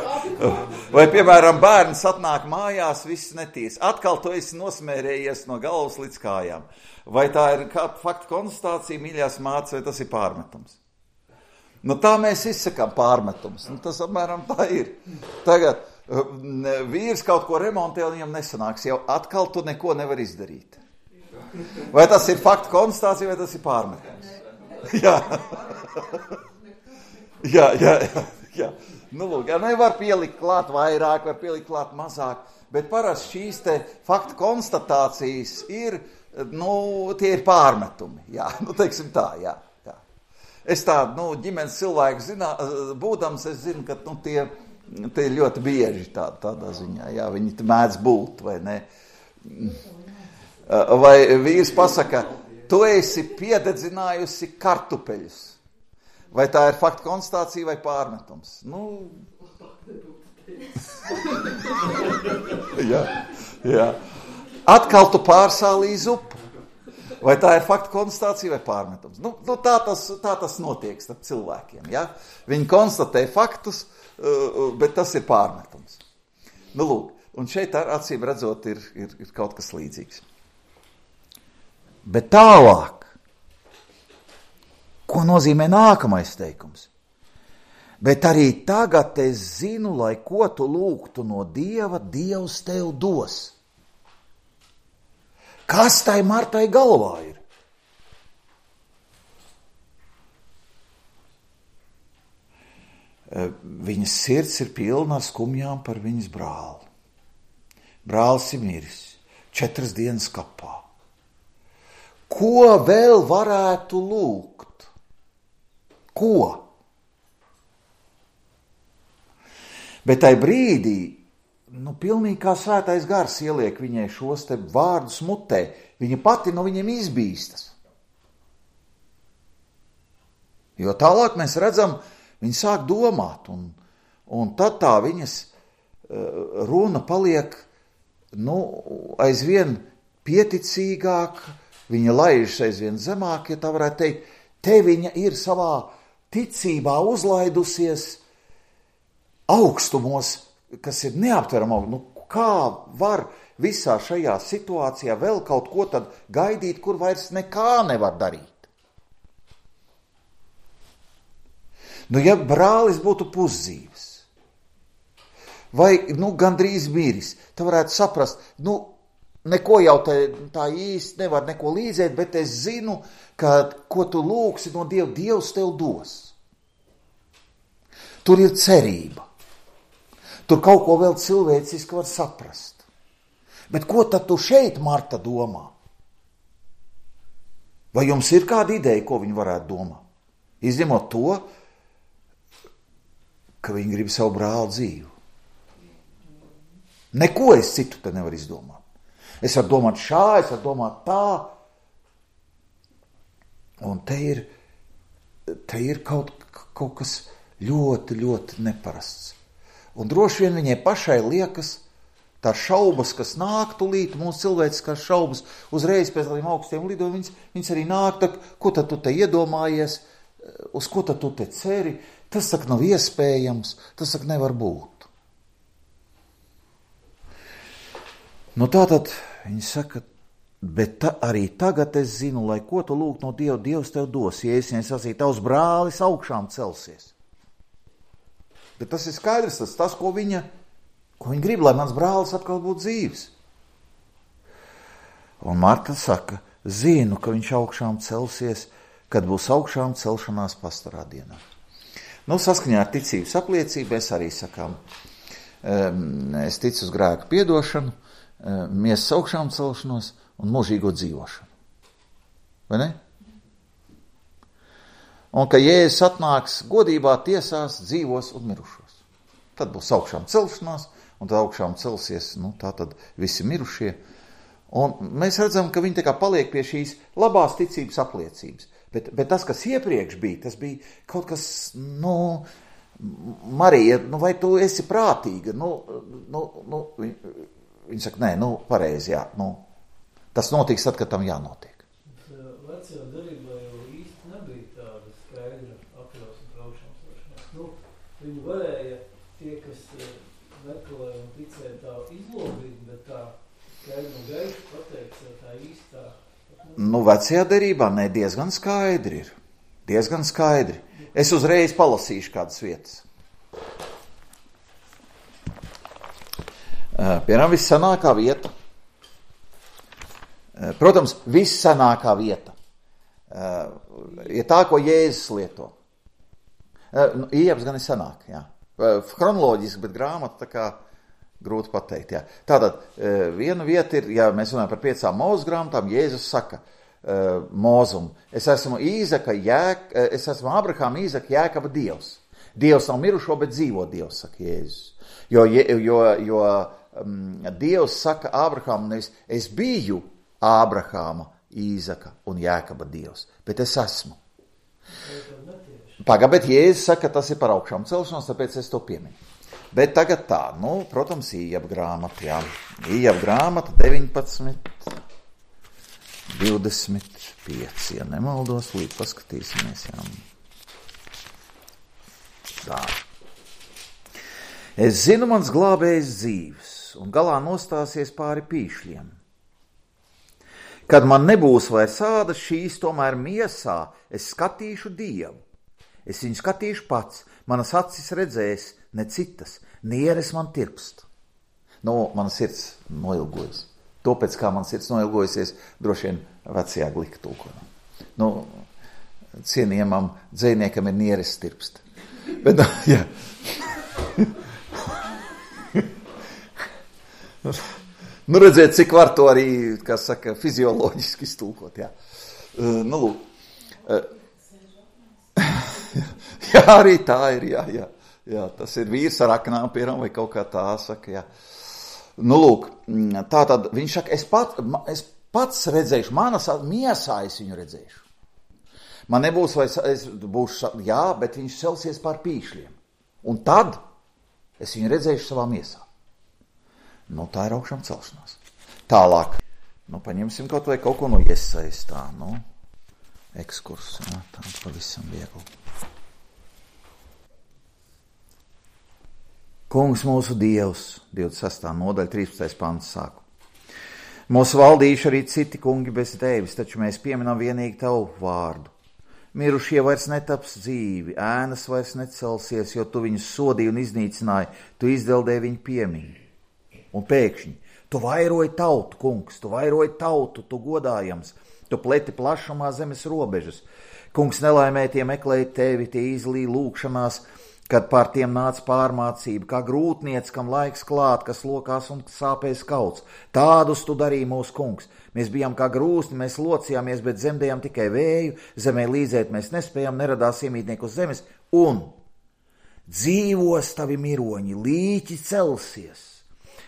vai, piemēram, bērns atnāk mājās, viss netīrs. Atkal tu esi nosmērējies no galvas līdz kājām. Vai tā ir kāda fakta konstatācija, mīļās mātes, vai tas ir pārmetums? Nu tā mēs izsakām pārmetums. Nu, tas apmēram tā ir. Tagad vīrs kaut ko remontē un viņam nesanāks. Jau atkal tu neko nevar izdarīt. Vai tas ir fakta konstatācija, vai tas ir pārmetums? Jā. jā, jā, jā, jā. Nu, lūk, jā, nevar pielikt klāt vairāk, var pielikt klāt mazāk, bet parasti šīs te fakta konstatācijas ir, nu, tie ir pārmetumi, jā, nu, teiksim tā, jā, jā. Es tādu, nu, ģimenes cilvēku zinā, būdams, es zinu, ka, nu, tie, tie ir ļoti bieži tā, tādā ziņā, jā, viņi mēdz būt, vai ne? Vai vīrs pasaka: Tu esi piededzinājusi kartupeļus. Vai tā ir fakta konstatācija vai pārmetums? Nu, jā, jā. Atkal tu pārsālīji zupu. Vai tā ir fakta konstatācija vai pārmetums? Nu, nu tā, tas, tā tas notiek starp cilvēkiem. Ja? Viņi konstatē faktus, bet tas ir pārmetums. Nu, lūk, un šeit acīm redzot ir, ir, ir kaut kas līdzīgs. Bet tālāk, ko nozīmē nākamais teikums? Bet arī tagad es zinu, lai ko tu lūgtu no Dieva, Dievs tev dos. Kas tai Martai galvā ir? Viņas sirds ir pilna ar skumjām par viņas brāli. Brālis ir miris, četras dienas kapā. Ko vēl varētu lūgt? Ko? Bet tai brīdī, nu, pilnīgi kā svētais gars ieliek viņai šos te vārdus mutē, viņa pati no viņiem izbīstas. Jo tālāk mēs redzam, viņa sāk domāt, un, un tad tā viņas uh, runa paliek, nu, aizvien pieticīgāk, viņa laižas aizvien zemāk, ja tā varētu teikt, te viņa ir savā ticībā uzlaidusies augstumos, kas ir neaptverama. Nu, kā var visā šajā situācijā vēl kaut ko tad gaidīt, kur vairs nekā nevar darīt? Nu, ja brālis būtu pusdzīvs, vai, nu, gandrīz miris, tā varētu saprast, nu, neko jau te, tā īsti nevar neko līdzēt, bet es zinu, ka, ko tu lūgsi no Dieva, Dievs tev dos. Tur ir cerība. Tur kaut ko vēl cilvēciski var saprast. Bet ko tad tu šeit, Marta, domā? Vai jums ir kāda ideja, ko viņi varētu domāt? Izņemot to, ka viņi grib savu brāli dzīvu. Neko es citu te nevaru izdomāt. Es varu domāt šā, es varu domāt tā. Un te ir, te ir kaut, kaut kas ļoti, ļoti neparasts. Un droši vien viņai pašai liekas, tā šaubas, kas nāk tulīt, mūsu cilvēciskās šaubas, uzreiz pēc tādiem augstiem lidojumiem, viņas, viņas arī nāk, tā, ko tad tu te iedomājies, uz ko tad tu te ceri, tas saka nav iespējams, tas saka nevar būt. Nu tātad viņi saka, bet ta, arī tagad es zinu, lai ko tu lūgt no Dieva, Dievs tev dos, ja es viņai sacīju, tavs brālis augšām celsies. Bet tas ir skaidrs, tas, tas ko viņa, ko viņa grib, lai mans brālis atkal būtu dzīvs. Un Marta saka, zinu, ka viņš augšām celsies, kad būs augšām celšanās pastarā dienā. Nu, saskaņā ar ticības apliecību es arī sakām, es ticu uz grēku piedošanu, miesas augšām celšanos un mūžīgo dzīvošanu. Vai ne? Un ka Jēzus atnāks godībā tiesās dzīvos un mirušos. Tad būs augšām celšanās, un tad augšām celsies, nu, tā tad visi mirušie. Un mēs redzam, ka viņi tā kā paliek pie šīs labās ticības apliecības. Bet, bet tas, kas iepriekš bija, tas bija kaut kas, nu, Marija, nu, vai tu esi prātīga? Nu, nu, nu, viņi saka, nē, nu, pareizi, jā, nu, tas notiks tad, kad tam jānotiek. Vecajā derībā jau īsti nebija tāda skaidra apjausma par augšām celšanās. Nu, viņi varēja, tie, kas meklē un ticēja tā izlobīt, bet tā skaidra un gaiši pateiks, tā īstā. Nu, vecajā derībā, ne, diezgan skaidri ir. Diezgan skaidri. Es uzreiz palasīšu kādas vietas. Piemēram, vissanākā vieta. Protams, vissanākā vieta ir tā, ko Jēzus lieto. Iejaps gan ir sanāk, jā. Chronoloģiski, bet grāmata tā kā grūti pateikt, jā. Tātad, viena vieta ir, ja mēs runājam par piecām Mūzes grāmatām, Jēzus saka Mūzum, es esmu Īzaka, Jēk, es esmu Abrahama, Īzaka, Jēkaba Dievs. Dievs nav mirušo, bet dzīvo Dievs, saka Jēzus. Jo, jo, jo um, Dievs saka Abrahamam, nevis es biju Abrahama, Īzaka un Jēkaba Dievs, bet es esmu. Pagā, bet Jēzus saka, tas ir par augšām celšanos, tāpēc es to pieminu. Bet tagad tā, nu, protams, Ījaba grāmata, jā. Ījaba grāmata deviņpadsmit, divdesmit pieci, ja nemaldos, līdz paskatīsimies, jā. Tā. Es zinu, mans glābējs dzīves, un galā nostāsies pāri pīšļiem. Kad man nebūs vairs ādas šīs, tomēr miesā, es skatīšu Dievu. Es viņu skatīšu pats, manas acis redzēs, ne citas, nieres man tirpst. Nu, mana sirds noilgojas. To pēc kā man sirds noilgojusies, droši vien vecajā glika tulkojumā. Nu, cienījamam dzejniekam ir nieres tirpst. Bet, jā. Nu, redziet, cik var to arī, kā saka, fizioloģiski iztulkot, jā. Uh, nu, lūk. Uh, jā, arī tā ir, jā, jā. Jā, tas ir vīrs ar aknām, piemēram, vai kaut kā tā saka, jā. Nu, lūk, tā tad viņš saka, es, pat, es pats redzēšu, manas miesā es viņu redzēšu. Man nebūs, vai es būšu, jā, bet viņš celsies pār pīšļiem. Un tad es viņu redzēšu savā miesā. Nu, tā ir augšām celšanās. Tālāk, nu, paņemsim kaut vai kaut ko no Jesajas tā, nu, ekskursu, jā, tā pavisam viegli. Kungs mūsu Dievs, divdesmit sestā nodaļa, trīspadsmitais pants sāku. Mūsu valdījuši arī citi kungi bez tevis, taču mēs pieminam vienīgi tavu vārdu. Mirušie vairs netaps dzīvi, ēnas vairs necelsies, jo tu viņus sodīji un iznīcināji, tu izdeldēji viņu piemiņu. Un pēkšņi, tu vairoji tautu, kungs, tu vairoji tautu, tu godājams, tu pleti plašumā zemes robežas. Kungs, nelaimē tie meklēja tevi, tie izlīja lūkšanās, kad pār tiem nāca pārmācība, kā grūtniec, kam laiks klāt, kas lokās un sāpēs kauts. Tādus tu darīji mūsu kungs. Mēs bijām kā grūsti, mēs locījāmies, bet zemdējām tikai vēju, zemē līdzēt mēs nespējām, neradās iemītnieku uz zemes, un dzīvos tavi miroņi, līķi celsies,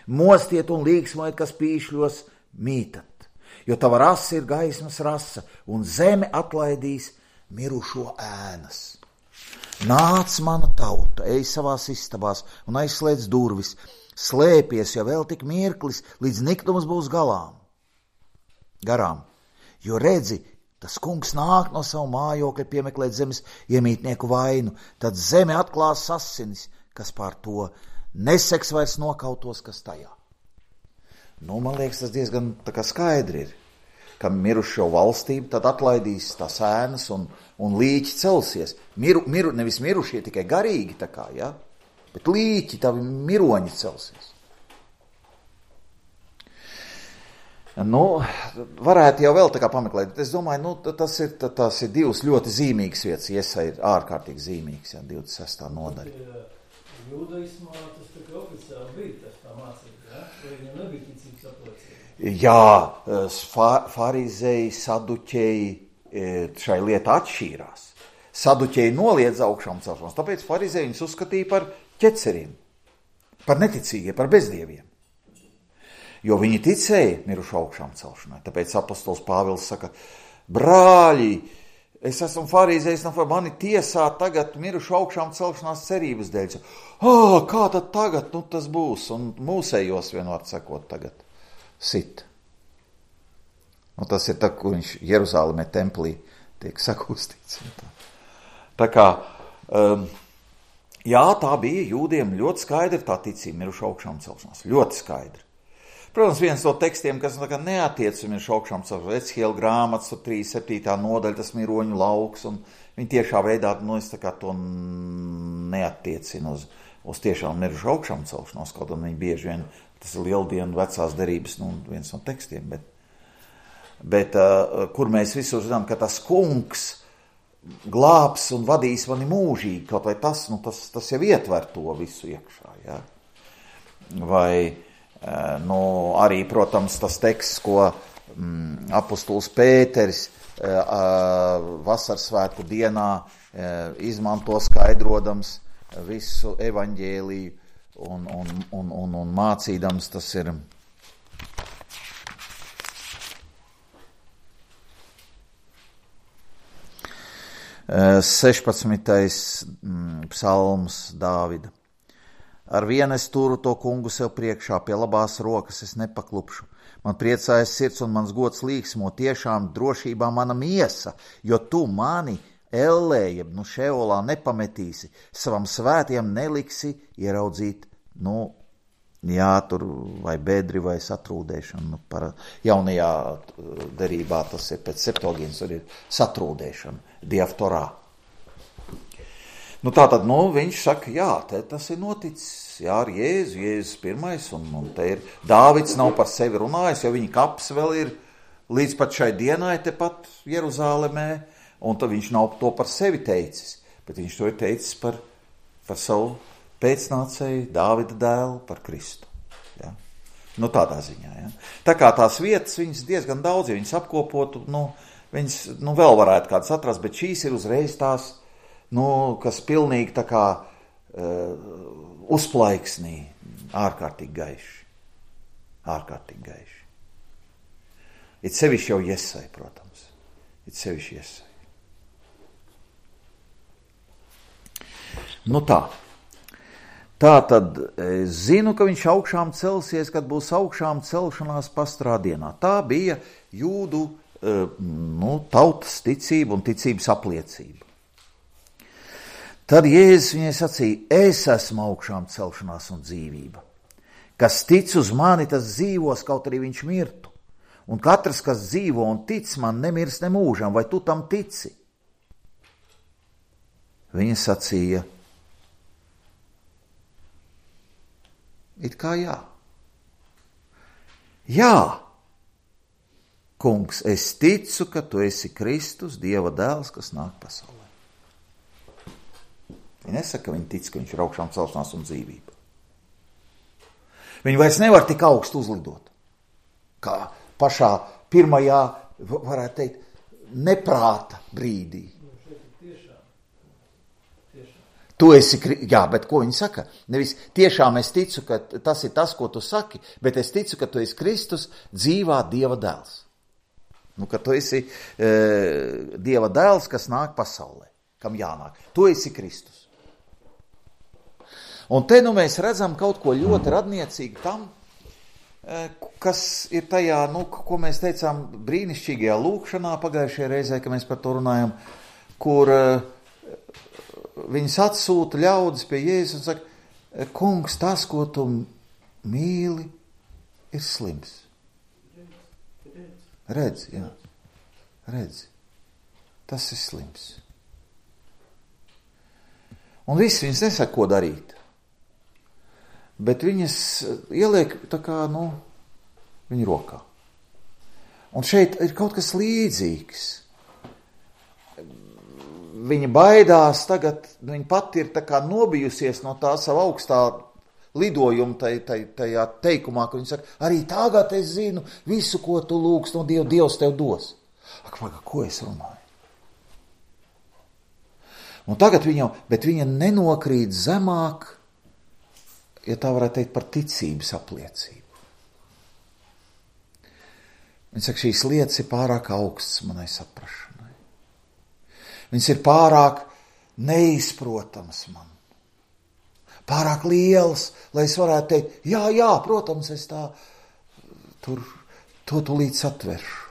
mostiet un līksmojiet, kas pīšļos mītat, jo tava rasa ir gaismas rasa, un zeme atlaidīs mirušo ēnas. Nāc mana tauta, ej savās istabās un aizslēdz durvis, slēpies, jo vēl tik mirklis, līdz niktums būs galām. Garām, jo redzi, tas kungs nāk no savu mājokļa piemeklēt zemes iemītnieku vainu, tad zeme atklās asinis, kas pār to neseks vairs nokautos, kas tajā. Nu, man liekas, tas diezgan tā kā skaidri ir, ka mirušo valstību tad atlaidīs tās ēnas un, un līķi celsies. Miru, miru, nevis mirušie, tikai garīgi tā kā, ja? Bet līķi, tavi miroņi celsies. Nu, varētu jau vēl tā kā pameklēt, bet es domāju, nu, tas ir, tas ir divas ļoti zīmīgas vietas, Jesaja ir ārkārtīgi zīmīgs, ja, divdesmit sestā nodaļa. Jūdaismā tas tā kā oficiāli bija tas tā mācība, ja? Vai viņam nebija ticības apliecība? Jā, farizēji, saduķēji šai lietā atšķīrās. Saduķēji noliedz augšām celšanos, tāpēc farizēji viņus uzskatīja par ķeceriem, par neticīgiem, par bezdieviem. Jo viņi ticēja mirušu augšām celšanai. Tāpēc apostols Pāvils saka, brāļi, es esmu farizējis, no mani tiesā tagad mirušu augšām celšanās cerības dēļ. Ah, kā tad tagad, nu tas būs? Un mūsējos vienvārds sakot tagad sit. Nu, tas ir tā, kur viņš Jeruzālemē templī tiek sakustīts. Tā, tā kā, um, jā, tā bija jūdiem ļoti skaidra tā ticība mirušu augšām celšanās. Ļoti skaidra. Protams, viens no tekstiem, kas neatiec uz mirušu augšām celšanās, Ecihiela grāmatas, trīsdesmit septītā nodaļa, tas miroņu lauks, un viņi tiešā veidā, nu, es tā kā to neattiecinu uz, uz tiešām mirušu augšām celšanos, kaut un viņi bieži vien, tas ir lieldienu vecās derības, nu, viens no tekstiem, bet, bet uh, kur mēs visur zinām, ka tas kungs glābs un vadīs mani mūžīgi, kaut vai tas, nu, tas, tas jau ietver to visu iekšā, jā. Vai, uh, nu, arī, protams, tas teksts, ko mm, apostols Pēteris uh, uh, vasarsvētku dienā uh, izmanto skaidrodams visu evaņģēliju un, un, un, un, un mācīdams, tas ir sešpadsmitais psalms Dāvida. Ar vienu es turu to kungu sev priekšā, pie labās rokas es nepaklupšu. Man priecājas sirds un mans gods līksmo, tiešām drošībā mana miesa, jo tu mani ellē, jeb nu šeolā nepametīsi, savam svētiem neliksi ieraudzīt, nu, jā, tur vai bedri vai satrūdēšanu. Nu, par jaunajā derībā tas ir pēc septuagīnas, tur ir satrūdēšana, diaftorā. Nu, tā tad, nu, viņš saka, jā, te tas ir noticis, jā, ar Jēzu, Jēzus pirmais, un, un te ir, Dāvids nav par sevi runājis, jo viņa kaps vēl ir līdz pat šai dienai tepat Jeruzālemē, un tad viņš nav to par sevi teicis, bet viņš to ir teicis par par savu pēcnācēju, Dāvida dēlu, par Kristu. Ja? Nu, tādā ziņā. Ja? Tā kā tās vietas, viņas diezgan daudz, ja viņas apkopotu, nu, viņas nu, vēl varētu kādas atrast, bet šīs ir uzreiz tās, nu, kas pilnīgi tā kā uh, uzplaiksnī, ārkārtīgi gaiši. Ārkārtīgi gaiši. It sevišķi jau Jesai, protams. It sevišķi Jesai. Nu tā. Tā tad es zinu, ka viņš augšām celsies, kad būs augšām celšanās pastrā dienā. Tā bija jūdu nu, tautas ticība un ticības apliecība. Tad Jēzus viņai sacīja, es esmu augšām celšanās un dzīvība. Kas tic uz mani, tas dzīvos, kaut arī viņš mirtu. Un katrs, kas dzīvo un tic man, nemirs ne mūžam, vai tu tam tici? Viņa sacīja, it kā jā. Jā, kungs, es ticu, ka tu esi Kristus, Dieva dēls, kas nāk pasaulē. Viņa nesaka, ka viņa tic, ka viņš ir augšām celšanās un dzīvība. Viņa vairs nevar tik augstu uzlidot, kā pašā pirmajā, varētu teikt, neprāta brīdī. Tu esi, jā, bet ko viņi saka? Nevis tiešām es ticu, ka tas ir tas, ko tu saki, bet es ticu, ka tu esi Kristus, dzīvā Dieva dēls. Nu, ka tu esi e, Dieva dēls, kas nāk pasaulē, kam jānāk. Tu esi Kristus. Un te nu mēs redzam kaut ko ļoti radniecīgu tam, e, kas ir tajā, nu, ko mēs teicām brīnišķīgajā lūkšanā pagājušajā reizē, ka mēs par to runājam, kur e, viņas atsūta ļaudis pie Jēzus un saka, kungs, tas, ko tu mīli, ir slims. Redz, jā. Redz. Tas ir slims. Un viss viņas nesaka, ko darīt. Bet viņas ieliek tā kā, nu, viņa rokā. Un šeit ir kaut kas līdzīgs. Viņa baidās tagad, viņa pati ir tā kā nobijusies no tā sava augstā lidojuma taj, taj, tajā teikumā, ka viņa saka, arī tagad es zinu visu, ko tu lūgst no Dieva, Dievs tev dos. Ak, maga, ko es runāju? Un tagad viņa, bet viņa nenokrīt zemāk, ja tā varētu teikt par ticības apliecību. Viņa saka, šīs lietas ir pārāk augsts manai saprašanai. Viņas ir pārāk neizprotams man. Pārāk liels, lai es varētu teikt, jā, jā, protams, es tā tur to tulīt satveršu.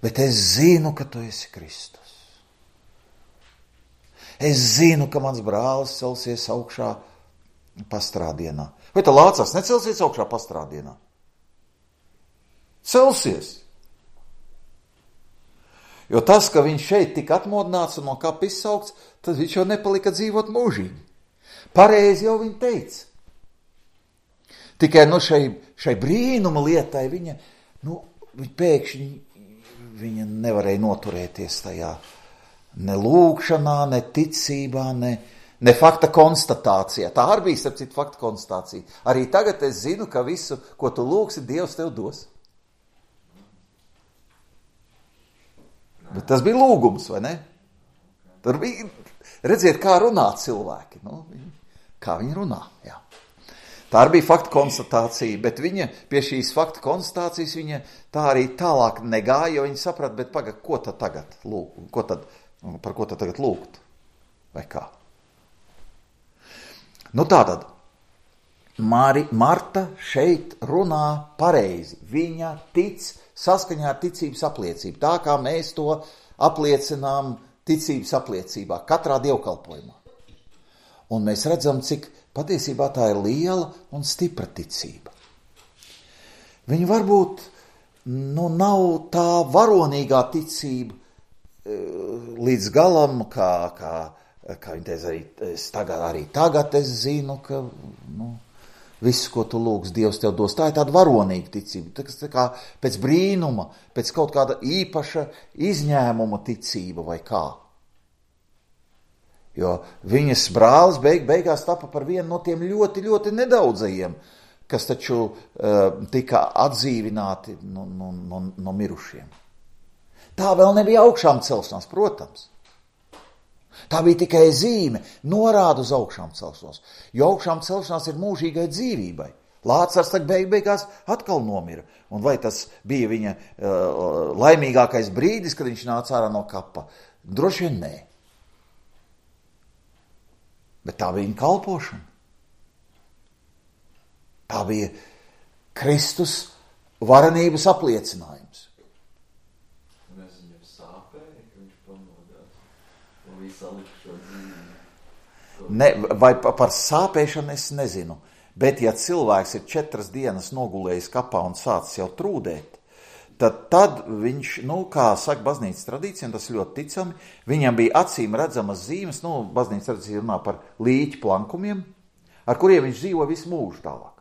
Bet es zinu, ka tu esi Kristus. Es zinu, ka mans brālis celsies augšā pastrādienā. Vai tā Lācars necelsies augšā pastrādienā? Celsies. Jo tas, ka viņš šeit tika atmodināts un no kapa izsaukts, tad viņš jau nepalika dzīvot mūžīgi. Pareizi jau viņa teica. Tikai no šai, šai brīnuma lietai viņa, nu, viņa pēkšņi viņa nevarēja noturēties tajā ne lūkšanā, ne ticībā, ne, ne fakta konstatācijā. Tā arī bija, starp citu, fakta konstatācija. Arī tagad es zinu, ka visu, ko tu lūgsi, Dievs tev dos. Bet tas bija lūgums, vai ne? Tur bija, redziet, kā runā cilvēki. Nu, kā viņi runā, jā. Tā arī bija fakta konstatācija, bet viņa pie šīs fakta konstatācijas viņa tā arī tālāk negāja, jo viņa saprat, bet pagad, ko tad tagad lūgt? Ko tad, par ko tad tagad lūgt? Vai kā? Nu tātad, Mari, Marta šeit runā pareizi. Viņa tic saskaņā ar ticības apliecību. Tā kā mēs to apliecinām ticības apliecībā, katrā dievkalpojumā. Un mēs redzam, cik patiesībā tā ir liela un stipra ticība. Viņa varbūt nu, nav tā varonīgā ticība līdz galam, kā, kā, kā viņa teica, arī, es tagad, arī tagad es zinu, ka nu, visu, ko tu lūgs, Dievs tev dos. Tā ir tāda varonīga ticība, tā, tā kā pēc brīnuma, pēc kaut kāda īpaša izņēmuma ticība vai kā. Jo viņas brālis beig, beigās tapa par vienu no tiem ļoti, ļoti nedaudzajiem, kas taču uh, tika atdzīvināti no, no, no, no mirušiem. Tā vēl nebija augšām celšanās, protams. Tā bija tikai zīme, norāda uz augšām celšanos, jo augšām celšanās ir mūžīgai dzīvībai. Lācars tak beig, beigās atkal nomira. Un vai tas bija viņa uh, laimīgākais brīdis, kad viņš nāca ārā no kapa? Droši vien nē. Bet tā bija viņa kalpošana. Tā bija Kristus varenības apliecinājums. Un es viņam sāpēju, ka viņš pamodās. Un viņš salika šo dzīvi. Ne, vai par sāpēšanu es nezinu. Bet ja cilvēks ir četras dienas nogulējis kapā un sācis jau trūdēt, tad, tad viņš, nu, kā saka baznīcas tradīcija, un tas ļoti ticami, viņam bija acīm redzamas zīmes, nu, baznīcas tradīcija runā par līķu plankumiem, ar kuriem viņš dzīvo visu mūžu tālāk.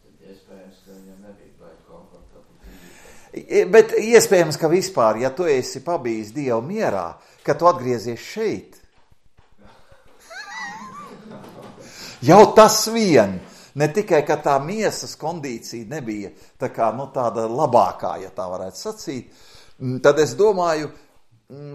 Tad iespējams, ka viņam nebija baigi komfortabli. Bet iespējams, ka vispār, ja tu esi pabijis Dievu mierā, ka tu atgriezies šeit, jau tas vien, ne tikai, ka tā miesas kondīcija nebija tā kā, nu, tāda labākā, ja tā varētu sacīt, tad es domāju,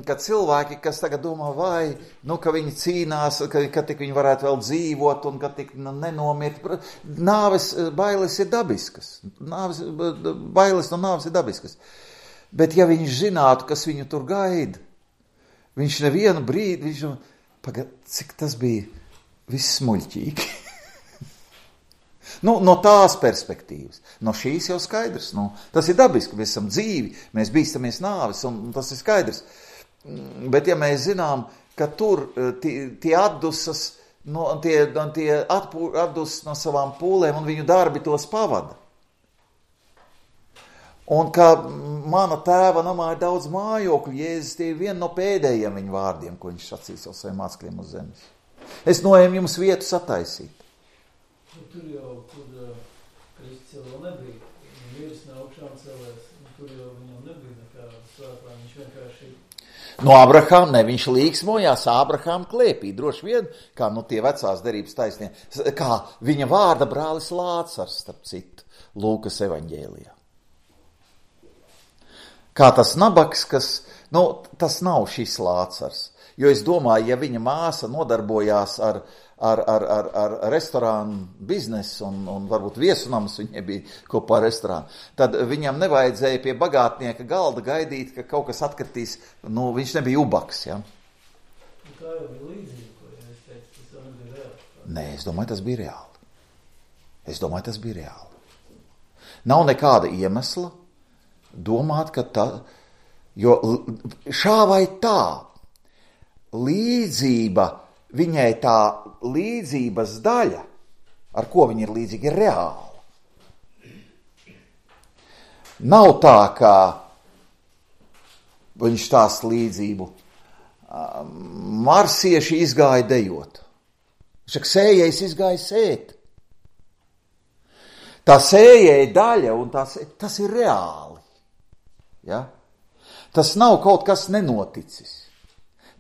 ka cilvēki, kas tagad domā, vai, nu, ka viņi cīnās, ka, ka tik viņi varētu vēl dzīvot un ka tik nu, nenomirt, nāves bailes ir dabiskas, nāves, bailes no nāves ir dabiskas, bet ja viņš zinātu, kas viņu tur gaida, viņš nevienu brīdi, viņš, pagad, cik tas bija viss muļķīgi. nu, no tās perspektīvas. No šīs jau skaidrs. Nu, tas ir dabiski, mēs esam dzīvi, mēs bīstamies nāves, un, un tas ir skaidrs. Bet ja mēs zinām, ka tur tie, tie atdusas, no, tie, tie atpū, atdusas no savām pūlēm, un viņu darbi tos pavada. Un ka mana tēva namā ir daudz mājokļu, Jēzus tie ir viena no pēdējiem viņa vārdiem, ko viņš sacīs ar saviem mācekļiem uz zemes. Es noēmu jums vietu sataisīt. Nu, tur jau, tur uh, Kristus jau vēl nebija. Viņa miris no augšām celēs, un tur jau viņam nebija nekā svētā. Viņš vienkārši... No Abrahām, ne, viņš līksmojās Abrahām klēpī, droši vien, kā nu tie vecās derības taisnie, kā viņa vārda brālis Lācars, starp citu, Lūkas evaņģēlijā. Kā tas nabaks, kas, nu, tas nav šis Lācars. Jo es domāju, ja viņa māsa nodarbojās ar, ar, ar, ar, ar restorānu biznesu un, un varbūt viesunams viņai bija kopā ar restorānu, tad viņam nevajadzēja pie bagātnieka galda gaidīt, ka kaut kas atkritīs, nu, viņš nebija ubaks, ja? Un tā jau bija līdzība, ko ja es teicu, tas jau nebija reāli. Nē, es domāju, tas bija reāli. Es domāju, tas bija reāli. Nav nekāda iemesla domāt, ka tā, jo šā vai tā, līdzība, viņai tā līdzības daļa, ar ko viņa ir līdzīga, ir reāla. Nav tā, ka viņš tās līdzību marsieši izgāja dejot. Viņš saka, sējējs izgāja sēt. Tā sējēja daļa, un tās, tas ir reāli. Ja? Tas nav kaut kas nenoticis.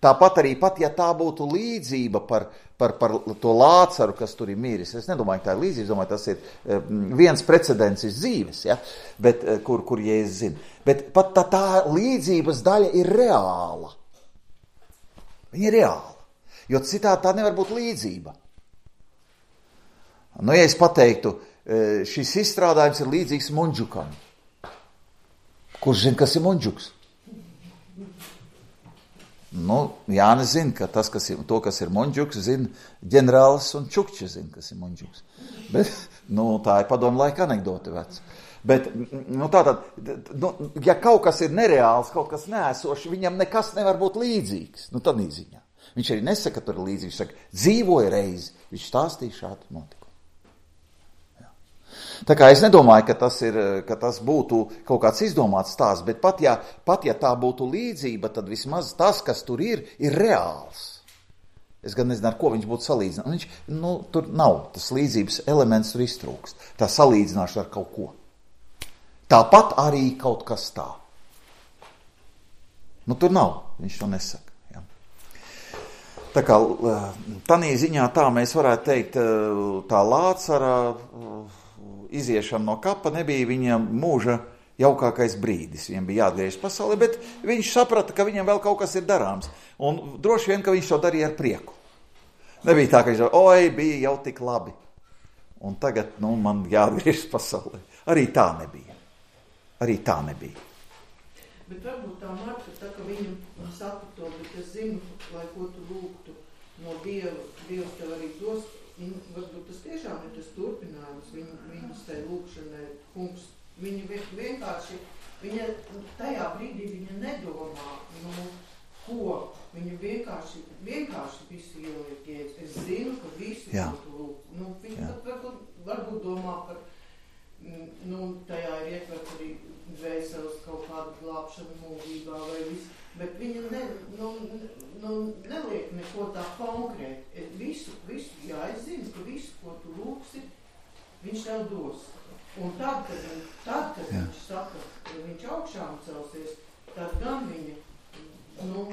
Tāpat arī pat, ja tā būtu līdzība par, par, par to Lācaru, kas tur ir miris. Es nedomāju, ka tā ir līdzība, domāju, tas ir viens precedents iz dzīves, ja? Bet, kur, kur Jēzus zina. Bet pat tā, tā līdzības daļa ir reāla. Viņa ir reāla, jo citādi tā nevar būt līdzība. Nu, ja es pateiktu, šis izstrādājums ir līdzīgs Mundžukam. Kurš zina, kas ir Mundžuks? Nu, Jānis zina, ka tas, kas ir, to, kas ir Mundžuks, zina ģenerālis un Čukča zina, kas ir Mundžuks. Bet, nu, tā ir padomu laika anekdote veca. Bet, nu, tātad, nu, ja kaut kas ir nereāls, kaut kas neesošs, viņam nekas nevar būt līdzīgs. Nu, tad īziņā. Viņš arī nesaka, ka tur ir līdzīgs. Viņš saka, dzīvoja reizi. Viņš stāstīja šādu notikumu. Tā kā es nedomāju, ka tas, ir, ka tas būtu kaut kāds izdomāts stāsts, bet pat ja, pat ja tā būtu līdzība, tad vismaz tas, kas tur ir, ir reāls. Es gan nezinu, ar ko viņš būtu salīdzinājis. Viņš, nu, tur nav, tas līdzības elements tur iztrūkst. Tā salīdzināšana ar kaut ko. Tāpat arī kaut kas tā. Nu, tur nav, viņš to nesaka. Tā kā tanī ziņā tā mēs varētu teikt, tā Lācara iziešana no kapa nebija viņam mūža jaukākais brīdis. Viņam bija jāatgriežas pasaulē, bet viņš saprata, ka viņam vēl kaut kas ir darāms. Un droši vien, ka viņš to darīja ar prieku. Nebija tā, ka viņš domāja, oi, bija jau tik labi. Un tagad, nu, man jāatgriežas pasaulē. Arī tā nebija. Arī tā nebija. Bet varbūt tā Marta, tā, ka viņa saka to, bet es zinu, lai ko tu lūgtu no Dieva, Dievs tev arī dos, viņa, varbūt tas tiešām ir tas turpinājums, viņa, viņas tai lūgšanai, kungs, viņa vienkārši, viņa tajā brīdī viņa nedomā, nu, ko, viņa vienkārši, vienkārši visu ieliek Jēzus. Es zinu, ka visu, Jā. ko tu lūg. Nu, viņa varbūt, varbūt domā par, nu, tajā ir ietvert arī dvēseles kaut kādu glābšanu mūžībā vai visu, bet viņa ne, nu, nu, neliek neko tā konkrēti. Visu, visu, jā, es zinu, ka visu, ko tu lūgsi, viņš tev dos. Un tad, kad, tad, kad viņš saka, ka viņš augšām celsies, tad gan viņa, nu,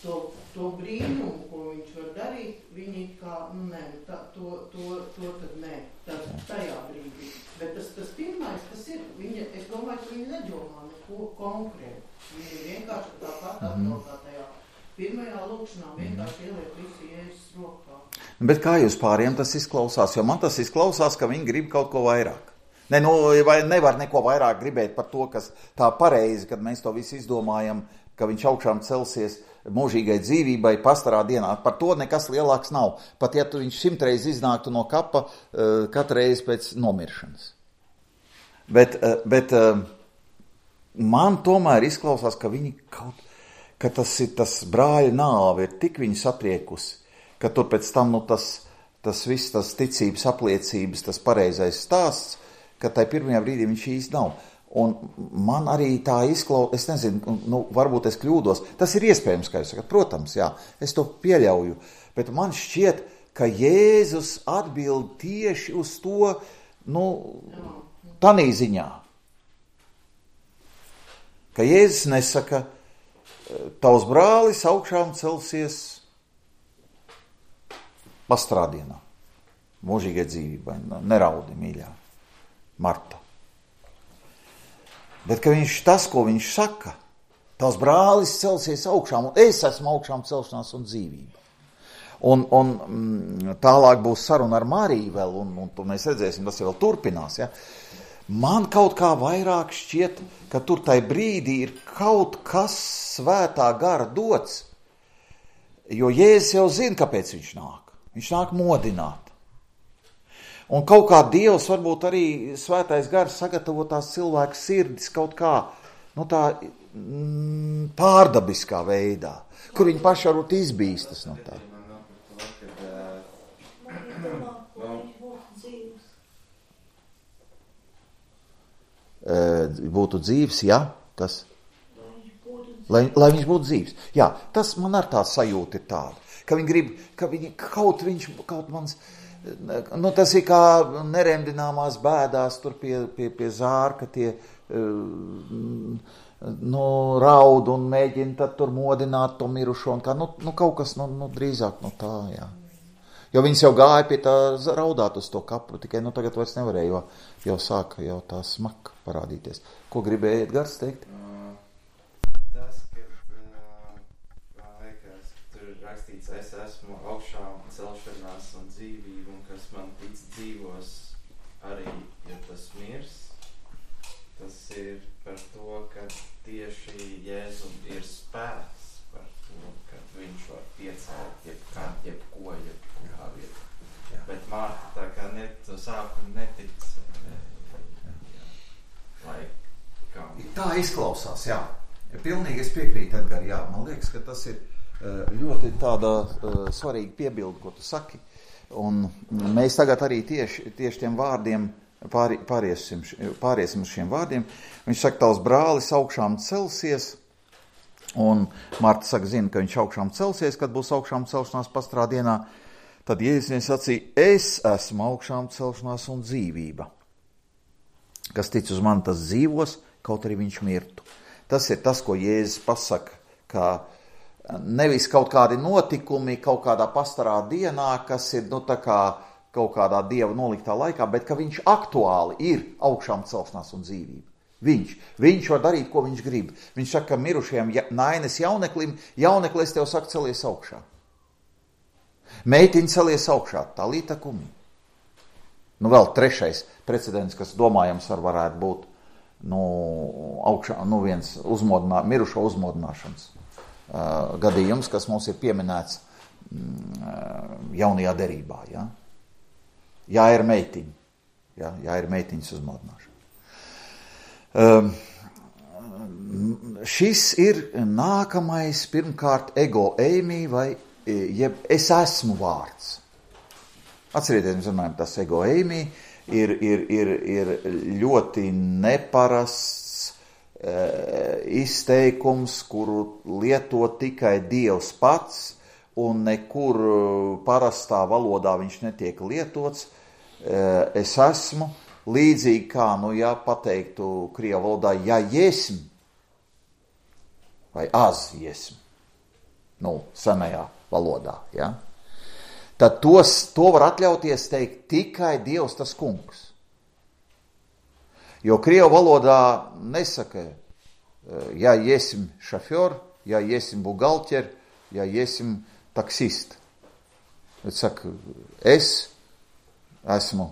to, to brīnumu, ko viņš var darīt, viņi kā, nu, nē, tā, to, to, to tad nē, tā, tajā brīdī. Bet tas, tas pirmais, tas ir, viņa, es domāju, ka viņa nedomā neko konkrētu. Viņa vienkārši tāpat atkal kā tajā pirmajā lūkšanā vienkārši ieliek visu Jēzus rokā. Bet kā jūs pāriem tas izklausās? Jo man tas izklausās, ka viņi grib kaut ko vairāk. Ne, nu, vai nevar neko vairāk gribēt par to, kas tā pareizi, kad mēs to visu izdomājam, ka viņš augšām celsies mūžīgai dzīvībai pastarā dienā. Par to nekas lielāks nav. Pat ja tu viņš simtreiz iznāktu no kapa uh, katru reizi pēc nomiršanas. Bet, uh, bet uh, man tomēr izklausās, ka viņi kaut, ka tas ir tas brāļa nāve, ir tik viņi satriekusi, ka tur pēc tam, nu, tas, tas viss, tas ticības apliecības, tas pareizais stāsts, ka tai pirmajā brīdī viņš īsti nav. Un man arī tā izklausās, es nezinu, nu, varbūt es kļūdos, tas ir iespējams, kā jūs sakat, protams, jā, es to pieļauju, bet man šķiet, ka Jēzus atbild tieši uz to, nu, tanī ziņā. Ka Jēzus nesaka, tavs brālis augšām celsies pastrādienā, mūžīgai dzīvībai, neraudi, mīļā, Marta. Bet ka viņš tas, ko viņš saka, tās brālis celsies augšām, un es esmu augšām celšanās un dzīvība. Un, un mm, tālāk būs saruna ar Mariju vēl, un, un to mēs redzēsim, tas vēl turpinās. Ja? Man kaut kā vairāk šķiet, ka tur tai brīdī ir kaut kas svētā gara dots, jo Jēzus jau zina, kāpēc viņš nāk. Viņš nāk modināt. Un kaut kā Dievs, varbūt arī svētais gars sagatavo tās cilvēku sirdis kaut kā, nu tā mm, pārdabiskā veidā, kur viņi paši varbūt izbīstas no tā. Būtu dzīvs, jā, kas? Lai, lai viņš būtu dzīvs. Jā, tas man ar tā sajūta ir tāda, ka viņi grib, ka viņi kaut viņš, kaut mans... Nu, tas ir kā neremdināmās bēdās tur pie, pie, pie zārka tie nu, raud un mēģina tad tur modināt to mirušo un kā, nu, nu kaut kas, nu, nu drīzāk no tā, jā. Jo viņas jau gāja pie tā raudāt uz to kapru, tikai, nu, tagad vairs nevarēja, jo jau sāka jau tā smaka parādīties. Ko gribējiet Gars teikt? Tas, ka liekas, tur ir rakstīts, es esmu augšām celšanās un dzīvību, un kas man tic dzīvos arī, ja tas mirs, tas ir par to, ka tieši Jēzum ir spēks par to, ka viņš var piecelt jebkā, jebko, jebkurā vietā. Jā. Bet Marta tā kā net, to sākumu netic, ne, jā, lai kā. Tā izklausās, jā. Pilnīgi es piekrītu, Edgar, jā. Man liekas, ka tas ir ļoti tāda uh, svarīga piebilde, ko tu saki. Un mēs tagad arī tieši, tieši tiem vārdiem pāri, pāriesim, pāriesim uz šiem vārdiem. Viņš saka, tavs brālis augšām celsies, un Marta saka, zina, ka viņš augšām celsies, kad būs augšām celšanās pastrādienā. Tad Jēzus sacīja, es esmu augšām celšanās un dzīvība. Kas tic uz mani, tas dzīvos, kaut arī viņš mirtu. Tas ir tas, ko Jēzus pasaka, kā nevis kaut kādi notikumi kaut kādā pastarā dienā, kas ir nu, tā kā kaut kādā Dieva noliktā laikā, bet ka viņš aktuāli ir augšām celšanās un dzīvība. Viņš. Viņš var darīt, ko viņš grib. Viņš saka, ka mirušajam Nainas jauneklim, jaunekli es tev saku, celies augšā. Meitiņa celies augšā, tā līta kumī. Nu vēl trešais precedents, kas domājams var varētu būt nu, augšā, nu viens uzmodinā, mirušo uzmodināšanas uh, gadījums, kas mums ir pieminēts mm, jaunajā derībā, ja? Jā, ir meitiņa. Jā, jā ir meitiņas uzmodināšana. Um, šis ir nākamais, pirmkārt, ego eimi vai jeb es esmu vārds. Atcerieties, mēs runājam, tas ego eimi ir, ir, ir, ir ļoti neparasts e, izteikums, kuru lieto tikai Dievs pats, un nekur parastā valodā viņš netiek lietots. Es esmu, līdzīgi kā, nu, ja pateiktu krievu valodā, ja jesm, vai az jesm, nu, senajā valodā, ja? Tad tos, to var atļauties teikt tikai Dievs tas kungs. Jo krievu valodā nesaka, ja jesm šafior, ja jesm bugalter, ja jesm taksist. Bet saka, es esmu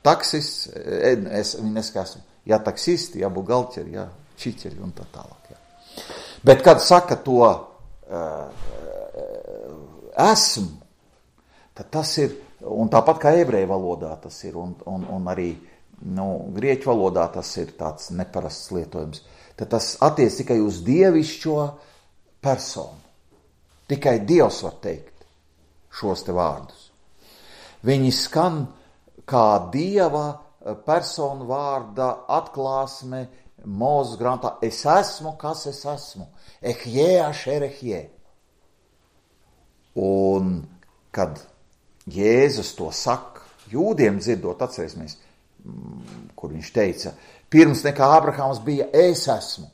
taksists, es, viņi nesaka, esmu, ja taksisti, ja bugalteri, ja čiķeri un tā tālāk. Ja. Bet, kad saka to uh, esmu, tad tas ir, un tāpat kā ebreju valodā tas ir, un, un, un arī nu, grieķu valodā tas ir tāds neparasts lietojums, tad tas attiec tikai uz dievišķo personu. Tikai Dievs var teikt šos te vārdus. Viņi skan kā Dieva personu vārda atklāsme Mūzes grāmatā. Es esmu, kas es esmu. Ehjē ašer ehjē. Un kad Jēzus to saka, jūdiem dzirdot, atcerēsimies, kur viņš teica, pirms nekā Abrahāms bija es esmu.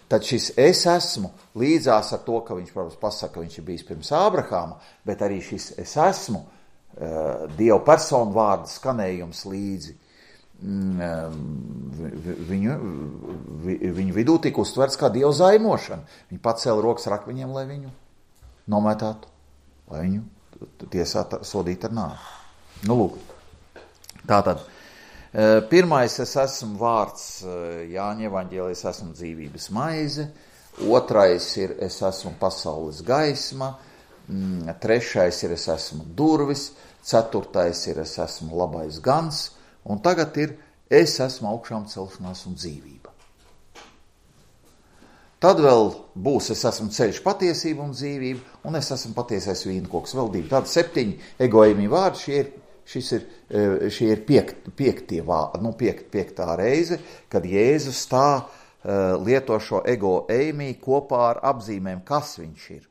Tad šis es esmu līdzās ar to, ka viņš, protams, pasaka, ka viņš ir bijis pirms Abrahāma, bet arī šis es esmu, uh, Dieva personu vārda skanējums līdzi. Uh, viņu, vi, viņu vidū tika uztverts kā Dieva zaimošana. Viņi pacēla rokas rakviņiem, lai viņu nomētātu, lai viņu tiesātu, sodītu ar nāvi. Nu, lūk. Tātad. Pirmais, es esmu vārds Jāņa evaņģēlijā, es esmu dzīvības maize. Otrais ir, es esmu pasaules gaisma. Trešais ir, es esmu durvis. Ceturtais ir, es esmu labais gans. Un tagad ir, es esmu augšām celšanās un dzīvība. Tad vēl būs, es esmu ceļš, patiesība un dzīvība, un es esmu patiesais vīnkoks. Vēl divi, tādi septiņi egoimi vārdi, šie ir Šis ir, šie ir piekt, piektie, nu piekt, piektā reize, kad Jēzus tā uh, lieto šo ego eimi kopā ar apzīmēm, kas viņš ir.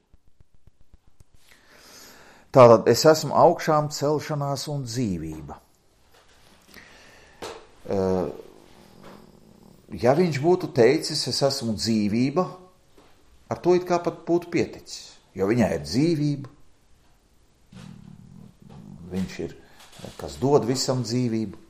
Tātad es esmu augšām celšanās un dzīvība. Uh, ja viņš būtu teicis, es esmu dzīvība, ar to it kā pat būtu pieticis, jo viņai ir dzīvība, viņš ir kas dod visam dzīvību.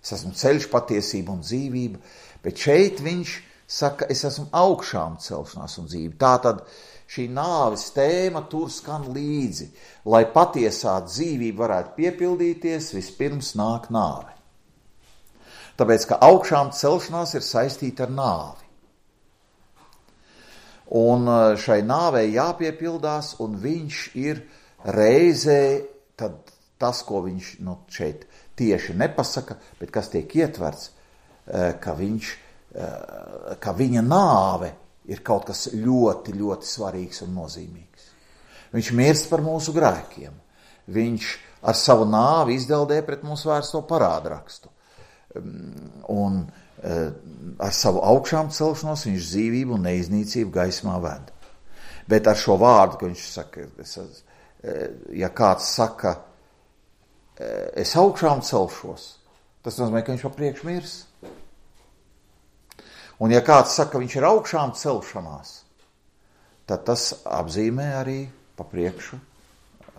Es esmu ceļš, patiesība un dzīvība, bet šeit viņš saka, es esmu augšām celšanās un dzīvība. Tātad šī nāves tēma tur skan līdzi, lai patiesā dzīvība varētu piepildīties, vispirms nāk nāve. Tāpēc, ka augšām celšanās ir saistīta ar nāvi. Un šai nāvei jāpiepildās, un viņš ir reizē tad tas, ko viņš nu, šeit tieši nepasaka, bet kas tiek ietverts, ka, viņš, ka viņa nāve ir kaut kas ļoti, ļoti svarīgs un nozīmīgs. Viņš mirst par mūsu grēkiem. Viņš ar savu nāvi izdeldē pret mūsu vērsto parādrakstu. Un ar savu augšām celšanos viņš dzīvību un neiznīcību gaismā ved. Bet ar šo vārdu, ka viņš saka, ja kāds saka, es augšām celšos, tas nozīmē, ka viņš pa priekš mirs. Un ja kāds saka, ka viņš ir augšām celšanās, tad tas apzīmē arī pa priekšu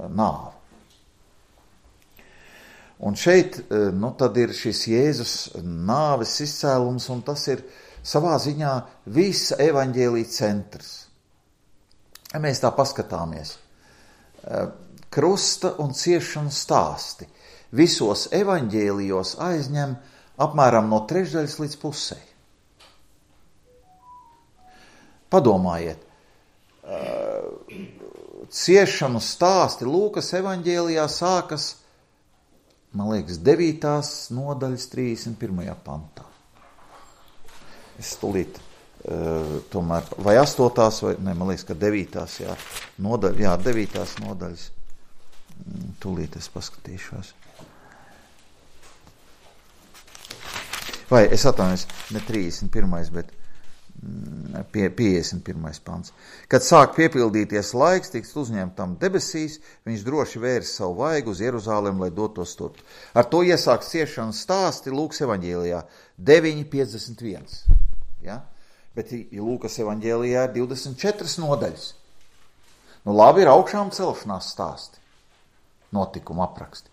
nāvi. Un šeit, nu, tad ir šis Jēzus nāves izcēlums, un tas ir savā ziņā visa evaņģēlija centrs. Ja mēs tā paskatāmies, krusta un ciešanu stāsti visos evaņģēlijos aizņem apmēram no trešdaļas līdz pusei. Padomājiet, ciešanu stāsti Lūkas evaņģēlijā sākas, man liekas, devītās nodaļas trīsdesmit pirmajā pantā. Es tūlīt, tomēr, vai astotās, vai, ne, man liekas, ka devītās, jā, nodaļa, jā, devītās nodaļas. Tūlīt es paskatīšos. Vai, es atvainojos, ne trīsdesmit pirmais, bet pie, piecdesmit pirmais pants. Kad sāk piepildīties laiks, tiks uzņemtam debesīs, viņš droši vērs savu vaigu uz Jeruzālem, lai dotos turp. Ar to iesāks ciešanas stāsti Lūkas evaņģēlijā deviņi piecdesmit viens. Ja? Bet Lūkas evaņģēlijā ir divdesmit četras nodaļas. Nu labi, ir augšām celšanās stāsti, notikuma apraksti.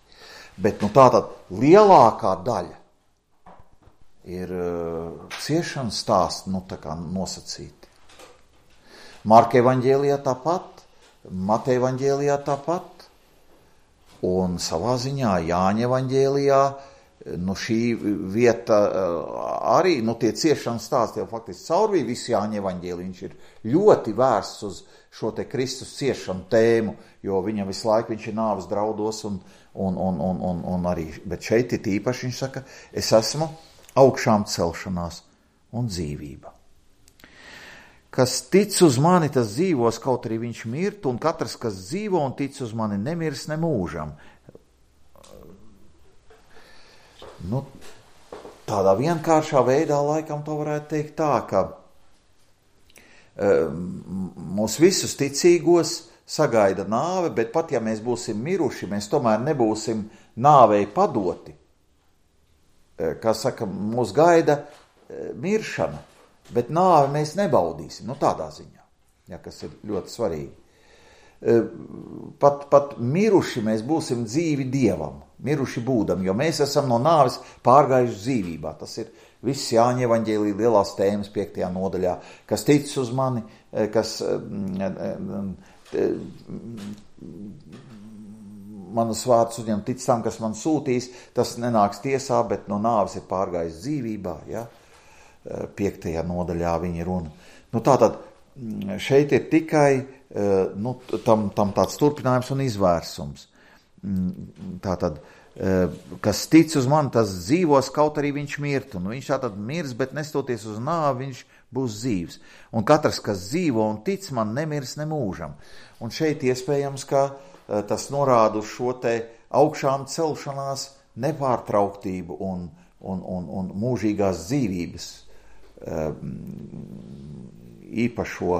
Bet nu tātad lielākā daļa ir uh, ciešanas stāsti, nu tā kā nosacīti. Marka evaņģēlijā tāpat, Mateja evaņģēlijā tāpat, un savā ziņā Jāņa evaņģēlijā, nu šī vieta uh, arī, nu tie ciešanas stāsti jau faktiski caurvīja visu Jāņa evaņģēliju, viņš ir ļoti vērsts uz šo te Kristus ciešanu tēmu, jo viņam visu laiku viņš ir nāves draudos un, un, un, un, un, un arī, bet šeit ir īpaši viņš saka, es esmu augšām celšanās un dzīvība. Kas tic uz mani, tas dzīvos, kaut arī viņš mirt, un katrs, kas dzīvo un tic uz mani, nemirs nemūžam. Nu, tādā vienkāršā veidā laikam to varētu teikt tā, ka mūs visus ticīgos sagaida nāve, bet pat ja mēs būsim miruši, mēs tomēr nebūsim nāvei padoti. Kā saka, mūs gaida miršana, bet nāvi mēs nebaudīsim, nu tādā ziņā, ja, kas ir ļoti svarīgi. Pat, pat miruši mēs būsim dzīvi Dievam, miruši būdam, jo mēs esam no nāves pārgājuši dzīvībā. Tas ir viss Jāņa evaņģēlija lielās tēmas piektajā nodaļā, kas tic uz mani, kas manus vārdus uzņem tic tam, kas man sūtīs, tas nenāks tiesā, bet no nāves ir pārgājis dzīvībā, ja? Piektajā nodaļā viņa runa. Nu tātad šeit ir tikai nu, tam, tam tāds turpinājums un izvērsums. Tātad, kas tic uz mani, tas dzīvos, kaut arī viņš mirtu. Nu, viņš tātad mirs, bet nestoties uz nāvi, viņš būs dzīvs. Un katrs, kas dzīvo un tic man, nemirs nemūžam. Un šeit iespējams, ka tas norāda uz šo te augšām celšanās nepārtrauktību un, un, un, un mūžīgās dzīvības īpašo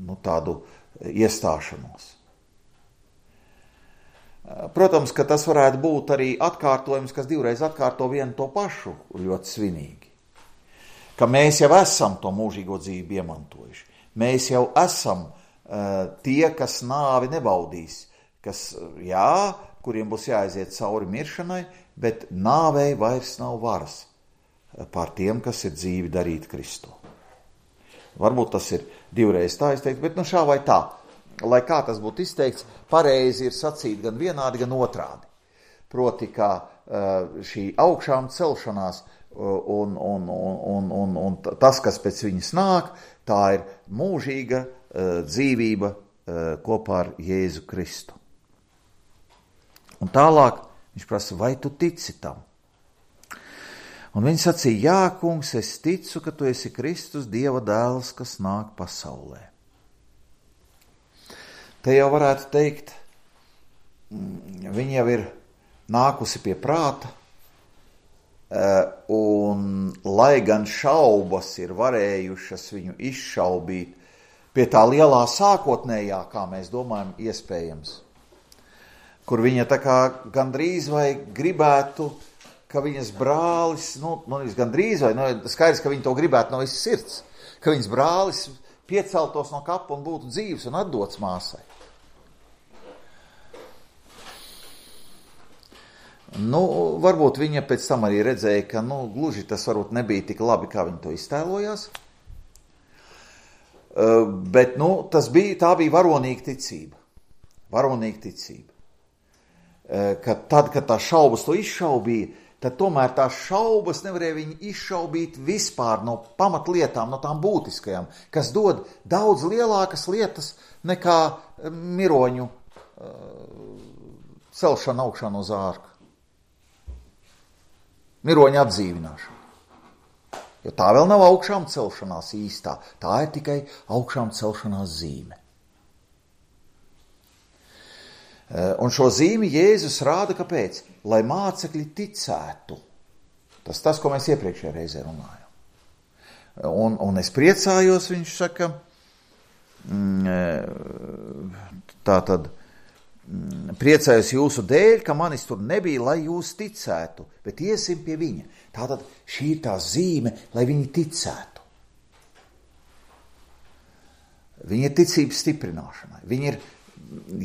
nu, tādu iestāšanos. Protams, ka tas varētu būt arī atkārtojums, kas divreiz atkārto vienu to pašu ļoti svinīgi. Ka mēs jau esam to mūžīgo dzīvi iemantojuši. Mēs jau esam tie, kas nāvi nebaudīs, kas, jā, kuriem būs jāaiziet cauri miršanai, bet nāvei vairs nav varas pār tiem, kas ir dzīvi darīt Kristu. Varbūt tas ir divreiz tā izteikts, bet nu šā vai tā, lai kā tas būtu izteikts, pareizi ir sacīt gan vienādi, gan otrādi. Proti, kā šī augšām celšanās un, un, un, un, un tas, kas pēc viņas nāk, tā ir mūžīga dzīvība kopā ar Jēzu Kristu. Un tālāk viņš prasa, vai tu tici tam? Un viņš sacīja, jā, kungs, es ticu, ka tu esi Kristus, Dieva dēls, kas nāk pasaulē. Te jau varētu teikt, viņa jau ir nākusi pie prāta, un lai gan šaubas ir varējušas viņu izšaubīt, pie tā lielā sākotnējā, kā mēs domājam, iespējams, kur viņa tā kā gandrīz vai gribētu, ka viņas brālis, nu, nu gandrīz vai, nu, skaidrs, ka viņa to gribētu no visas sirds, ka viņas brālis pieceltos no kapa un būtu dzīvs un atdots māsai. Nu, varbūt viņa pēc tam arī redzēja, ka, nu, gluži tas varbūt nebija tik labi, kā viņa to iztēlojās. Uh, bet, nu, tas bija, tā bija varonīga ticība. Varonīga ticība. Uh, ka tad, kad tā šaubas to izšaubīja, tad tomēr tās šaubas nevarēja viņu izšaubīt vispār no pamatlietām, no tām būtiskajām, kas dod daudz lielākas lietas nekā miroņu uh, celšana augšā no zārka. Miroņa atdzīvināšana. Jo tā vēl nav augšām celšanās īstā. Tā ir tikai augšām celšanās zīme. Un šo zīmi Jēzus rāda, kāpēc? Lai mācekļi ticētu. Tas tas, ko mēs iepriekšējā reizē runājam. Un, un es priecājos, viņš saka, tā tad, priecājos jūsu dēļ, ka manis tur nebija, lai jūs ticētu, bet iesim pie viņa. Tātad šī ir tā zīme, lai viņi ticētu. Viņa ir ticības stiprināšanai. Viņa ir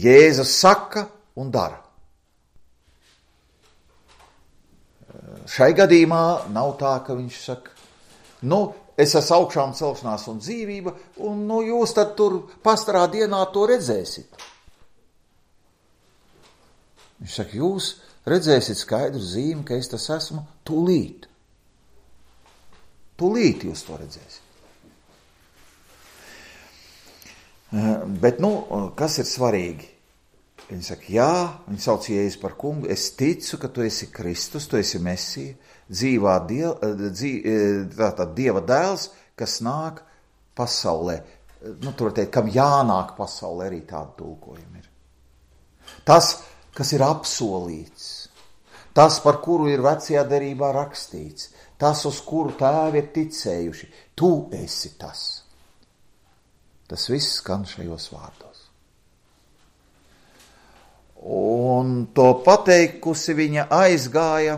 Jēzus saka un dara. Šai gadījumā nav tā, ka viņš saka, nu, es esmu augšām celšanās un dzīvība, un nu, jūs tad tur pastarā dienā to redzēsit. Viņš saka, jūs redzēsiet skaidru zīmi, ka es tas esmu tūlīt. Tūlīt jūs to redzēsiet. Bet, nu, kas ir svarīgi? Viņi saka, jā, viņi sauc Jēzu par kungu, es ticu, ka tu esi Kristus, tu esi Mesija, dzīvā die, dzī, tātad Dieva dēls, kas nāk pasaulē. Nu, tur teikt, kam jānāk pasaulē, arī tāda tulkojuma ir. Tas, kas ir apsolīts, tas, par kuru ir vecajā derībā rakstīts, tas, uz kuru tēvi ir ticējuši, tu esi tas. Tas viss skan šajos vārdos. Un to pateikusi viņa aizgāja,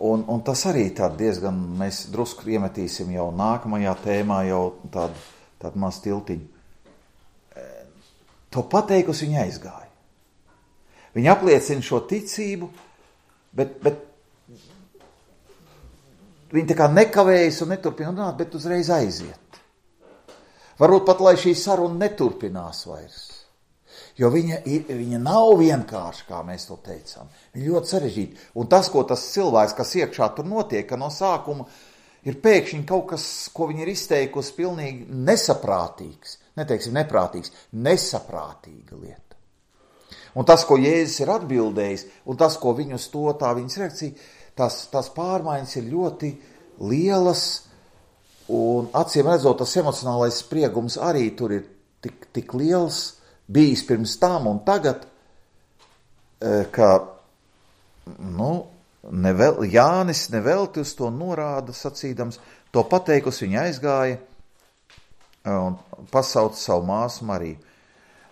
un, un tas arī tā diezgan, mēs drusku iemetīsim jau nākamajā tēmā, jau tādu, tādu maz tiltiņu. To pateikusi viņa aizgāja. Viņa apliecina šo ticību, bet, bet viņa tā kā nekavējas un neturpina runāt, bet uzreiz aiziet. Varbūt pat, lai šī saruna neturpinās vairs. Jo viņa, viņa nav vienkārši, kā mēs to teicām. Viņa ļoti sarežģīta. Un tas, ko tas cilvēks, kas iekšā tur notiek, ka no sākuma ir pēkšņi kaut kas, ko viņa ir izteikusi, pilnīgi nesaprātīgs. Neteiksim neprātīgs, nesaprātīga lieta. Un tas, ko Jēzus ir atbildējis, un tas, ko viņu uz to, tā viņas reakcija, tās, tās pārmaiņas ir ļoti lielas, un acīm redzot, tas emocionālais spriegums arī tur ir tik, tik liels, bijis pirms tam un tagad, ka, nu, nevel, Jānis nevelti uz to norāda, sacīdams, to pateikusi viņa aizgāja, un pasauca savu māsu Mariju.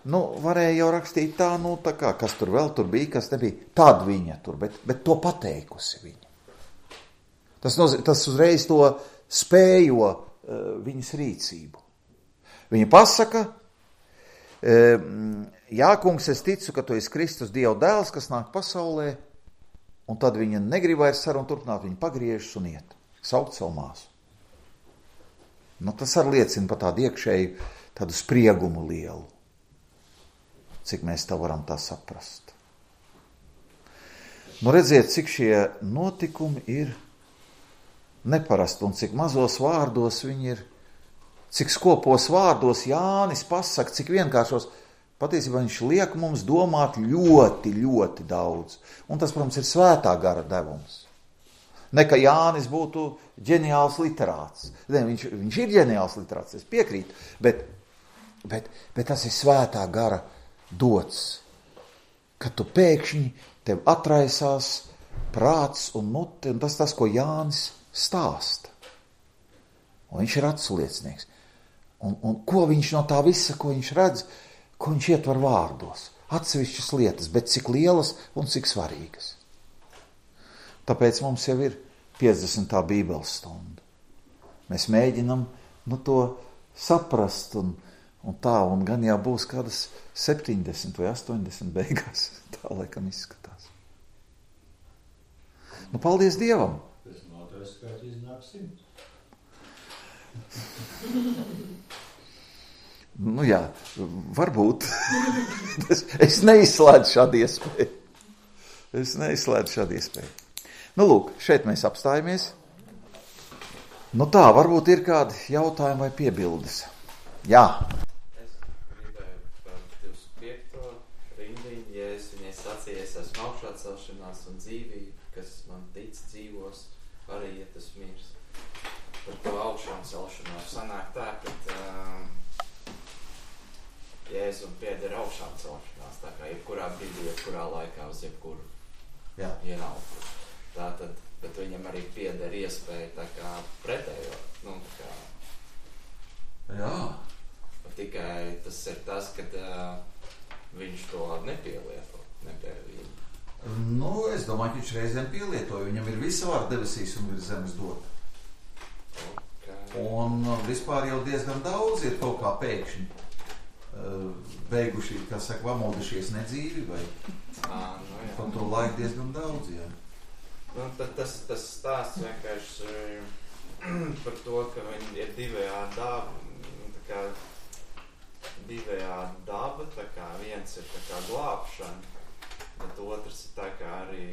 Nu, varēja jau rakstīt tā, nu, tā kā, kas tur vēl tur bija, kas nebija. Tad viņa tur, bet, bet to pateikusi viņa. Tas, noz, tas uzreiz to spējo uh, viņas rīcību. Viņa pasaka, uh, jā, kungs, es ticu, ka tu esi Kristus Dieva dēls, kas nāk pasaulē, un tad viņa negrib vairs sarunu turpināt, viņa pagriežas un iet, saukt savu māsu. Nu, tas arī liecina par tādu iekšēju, tādu spriegumu lielu. Cik mēs tā varam tā saprast. Nu, redziet, cik šie notikumi ir neparasti un cik mazos vārdos viņi ir, cik skopos vārdos Jānis pasaka, cik vienkāršos. Patiesībā viņš liek mums domāt ļoti, ļoti daudz. Un tas, protams, ir svētā gara devums. Ne, ka Jānis būtu ģeniāls literāts. Ne, viņš, viņš ir ģeniāls literāts, es piekrītu, bet, bet, bet tas ir svētā gara dots, ka tu pēkšņi tev atraisās prāts un mute, un tas tas, ko Jānis stāsta. Un viņš ir atsliecinieks. Un, un ko viņš no tā visa, ko viņš redz, ko viņš ietver vārdos. Atsevišķas lietas, bet cik lielas un cik svarīgas. Tāpēc mums jau ir piecdesmitā bībeles stunda. Mēs mēģinam nu, to saprast un, un tā, un gan jau būs kādas septiņdesmit vai astoņdesmit beigās. Tā laikam izskatās. Nu, paldies Dievam! Tas notais skaits iznāk simt. Nu jā, varbūt. es, es neizslēdzu šādu iespēju. Es neizslēdzu šādu iespēju. Nu lūk, šeit mēs apstājamies. Nu tā, varbūt ir kādi jautājumi vai piebildes. Jā. Es gribēju par divdesmit piekto rindiņu, ja es viņai sacīju, es esmu augšā celšanās un dzīvība, kas man tic dzīvos, arī, ja tas mirs. Par to augšām celšanos sanāk tā, ka um, Jēzum pieder augšām celšanās, tā kā jebkurā brīdī, jebkurā laikā uz jebkuru Jā. vienalgu. Tā tad, bet viņam arī pieder iespēja tā kā pretējo, nu tā kā. Jā. Tikai tas ir tas, ka uh, viņš to nepielieto, nepielieto. Nu, es domāju, ka viņš reizēm pielietoja. Viņam ir visa vara debesīs un virs zemes dota. Okay. Un vispār jau diezgan daudz ir kaut kā pēkšņi uh, beiguši, kā saka, vamodušies nedzīvi vai À, nu, jā. pa to laiku diezgan daudz, jā. Nu, tad tas, tas stāsts vienkārši par to, ka viņi ir divējādi daba, tā kā divējādi daba, tā kā viens ir tā kā glābšana, bet otrs ir tā kā arī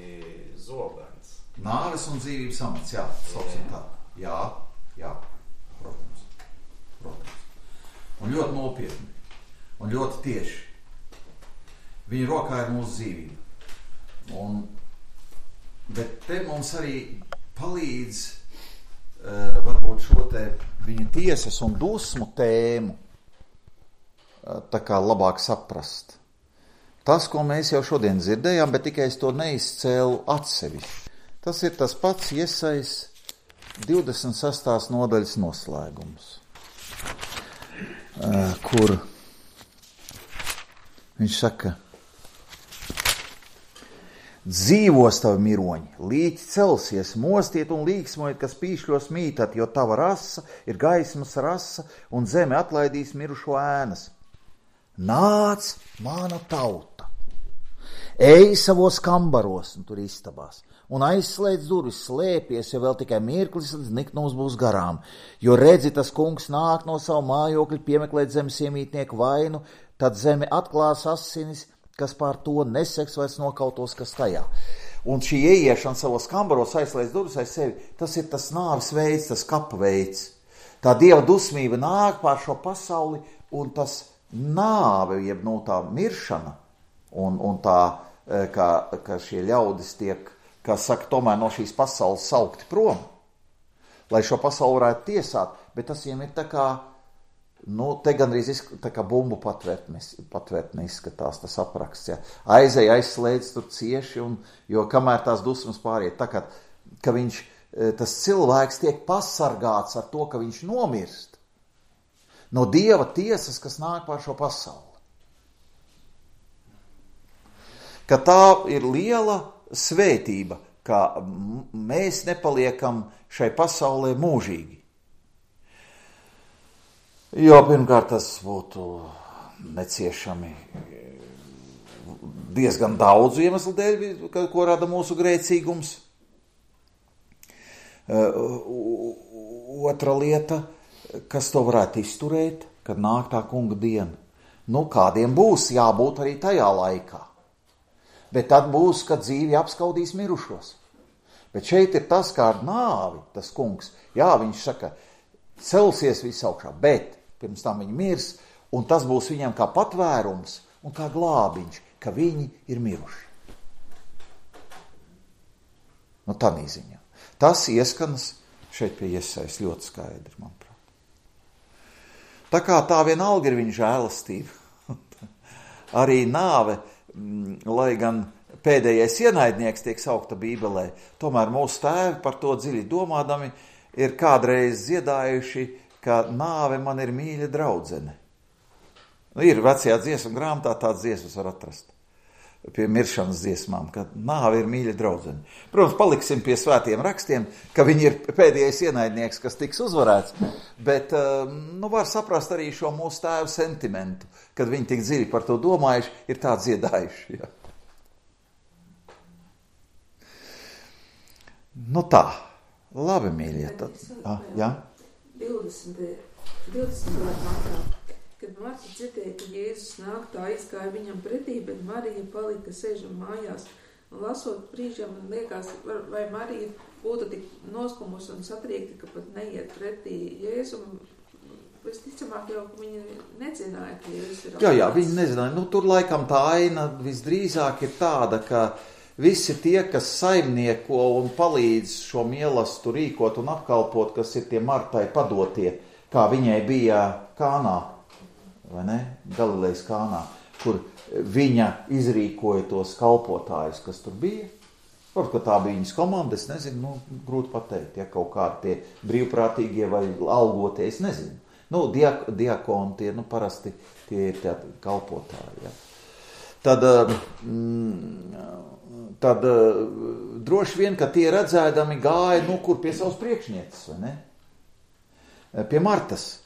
zobens. Nāves un dzīvības amats, jā, sauksim tā. Jā, jā, protams, protams. Un ļoti nopietni, un ļoti tieši. Viņa rokā ir mūsu dzīvība. Un, bet te mums arī palīdz uh, varbūt šo te viņa tiesas un dusmu tēmu uh, tā kā labāk saprast. Tas, ko mēs jau šodien dzirdējām, bet tikai es to neizcēlu atsevišķi. Tas ir tas pats Iesais divdesmit sestās nodaļas noslēgums, uh, kur viņš saka: dzīvos tavi miroņi, līķi celsies, mostiet un līksmojiet, kas pīšļos mītat, jo tava rasa ir gaismas rasa, un zeme atlaidīs mirušo ēnas. Nāc, mana tauta, ej savos kambaros, un tur istabās, un aizslēdz durvis, slēpies, jo vēl tikai mirklis līdz niknums būs garām, jo redzi, tas kungs nāk no savu mājokļu piemeklēt zemes iemītnieku vainu, tad zeme atklās asinis, kas pār to neseks vairs nokautos, kas tajā. Un šī ieiešana savos kambaros, aizslēdz durvis aiz sevi, tas ir tas nāves veids, tas kapa veids. Tā Dieva dusmība nāk pār šo pasauli, un tas nāve, jeb no tā miršana, un, un tā, ka, ka šie ļaudis tiek, kā saka, tomēr no šīs pasaules saukti prom, lai šo pasauli varētu tiesāt, bet tas viņiem ir tā kā, nu, te gandrīz izsk- tā kā bumbu patvērtne izskatās tas apraksts, ja. Aizej, aizslēdz tur cieši, un, jo kamēr tās dusmas pāriet, tā kā, ka viņš, tas cilvēks tiek pasargāts ar to, ka viņš nomirst no Dieva tiesas, kas nāk pār šo pasauli. Ka tā ir liela svētība, ka mēs nepaliekam šai pasaulē mūžīgi. Jo pirmkārt tas būtu neciešami diezgan daudzu iemeslu dēļ, ko rada mūsu grēcīgums. Otra lieta, kas to varētu izturēt, kad nāk tā kunga diena. Nu, kādiem būs jābūt arī tajā laikā. Bet tad būs, kad dzīvi apskaudīs mirušos. Bet šeit ir tas, kā ar nāvi, tas kungs. Jā, viņš saka, celsies viss augšā, bet pirms tam viņi mirs, un tas būs viņam kā patvērums un kā glābiņš, ka viņi ir miruši. Nu, tādā ziņā. Tas ieskanas šeit pie Iesajas ļoti skaidri, manuprāt. Tā kā tā vienalga ir viņa žēlastība. Arī nāve, lai gan pēdējais ienaidnieks tiek saukta Bībelē, tomēr mūsu tēvi par to dziļi domādami ir kādreiz dziedājuši, ka nāve man ir mīļa draudzene. Nu, ir vecajā dziesmu grāmatā tāds dziesmas var atrast. pie miršanas dziesmām, ka nāve ir mīļa draudzene. Protams, paliksim pie svētiem rakstiem, ka viņi ir pēdējais ienaidnieks, kas tiks uzvarēts, bet nu, var saprast arī šo mūsu tēvu sentimentu, kad viņi tik dziļi par to domājuši, ir tā dziedājuši. Ja. Nu tā, labi, mīļie. Tad, ah, jā? divdesmit martā, kad Marta dzirdēja, ka Jēzus nāk, tā aizgāja viņam pretī, bet Marija palika sēžam mājās. Un lasot brīžam, man liekas, vai Marija būtu tik noskumusi un satriekta, ka pat neiet pretī Jēzum. Visticamāk jau, ka viņi nezināja, ka Jēzus ir... Jā, jā, viņi nezināja. Nu, tur laikam tā aina visdrīzāk ir tāda, ka visi tie, kas saimnieko un palīdz šo mielastu rīkot un apkalpot, kas ir tie Martai padotie, kā viņai bija Kānā, vai ne? Galilejas Kānā, kur viņa izrīkoja tos kalpotājus, kas tur bija. Varbūt, ka tā bija viņas komanda, es nezinu, nu, grūti pateikt, ja kaut kādi tie brīvprātīgie vai algotie, es nezinu. Nu, diak, diakoni tie, nu, parasti tie ir tie kalpotāji, ja. Tad, tad droši vien, ka tie redzēdami gāja, nu, kur pie savas priekšnieces, vai ne? Pie Martas.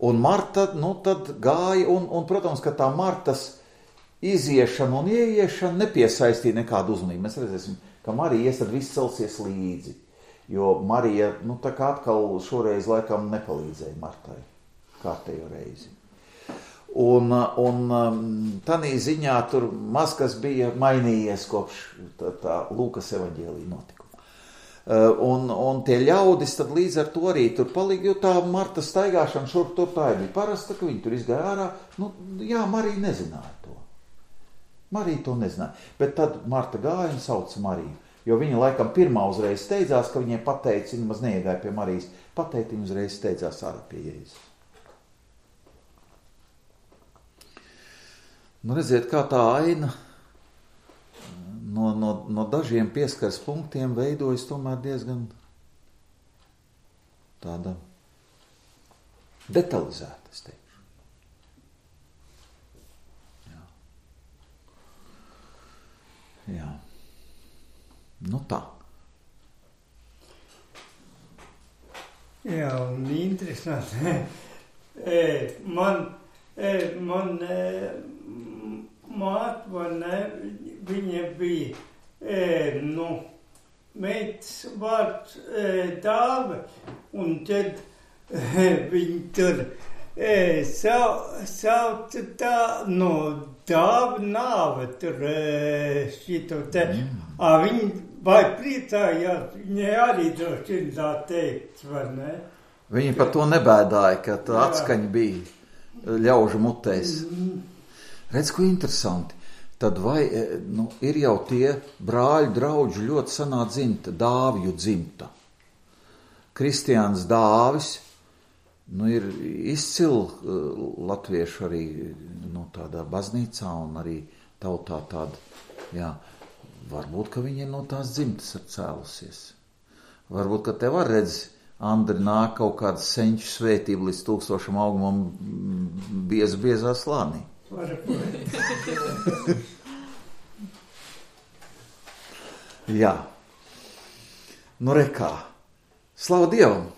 Un Marta, nu, tad gāja, un, un, protams, ka tā Martas iziešana un ieiešana nepiesaistīja nekādu uzmanību. Mēs redzēsim, ka Marija ies, tad viss celsies līdzi. Jo Marija, nu, tā kā atkal šoreiz laikam nepalīdzēja Martai kārtējo reizi. Un, un tanī ziņā tur maz kas bija mainījies kopš tā, tā Lūkas evaņģēlija notikuma. Un, un tie ļaudis tad līdz ar to arī tur palika, jo tā Marta staigāšana šurp tur tā bija parasta, ka viņi tur izgāja ārā. Nu, jā, Marija nezināja to. Marija to nezināja. Bet tad Marta gāja un sauca Mariju. Jo viņa laikam pirmā uzreiz steidzās, ka viņai pateica, viņa maz neiegāja pie Marijas, pateica, viņa uzreiz steidzās ārā pie Jēzus. Nu, redziet, kā tā aina no, no, no dažiem pieskaras punktiem veidojas tomēr diezgan tāda detalizēta, es teikšu. Jā. Jā. Nu tā. Jā, un interesanti. man, man māte, man, viņa bija, nu, meitas vārds Dāve, un tad viņa tur sauca tā, no Dāva nāve, tur šito te, a viņa vai priecājās, viņai arī droši vien tā teikt, vai ne? Viņa par to nebēdāja, ka tā atskaņa bija ļaužu mutēs. Redz, ko interesanti. Tad vai, nu, ir jau tie brāļu draudži ļoti senā dzimta, Dāvju dzimta. Kristiāns Dāvis, nu, ir izcili latviešu arī, nu, tādā baznīcā un arī tautā tāda, jā, varbūt, ka viņi no tās dzimtas ir cēlusies. Varbūt, ka tev var redz, Andri, nāk kaut kāda senču svētība līdz tūkstošam augumam biez, biezā slānī. Jā. Nu, rekā. Slavu Dievam!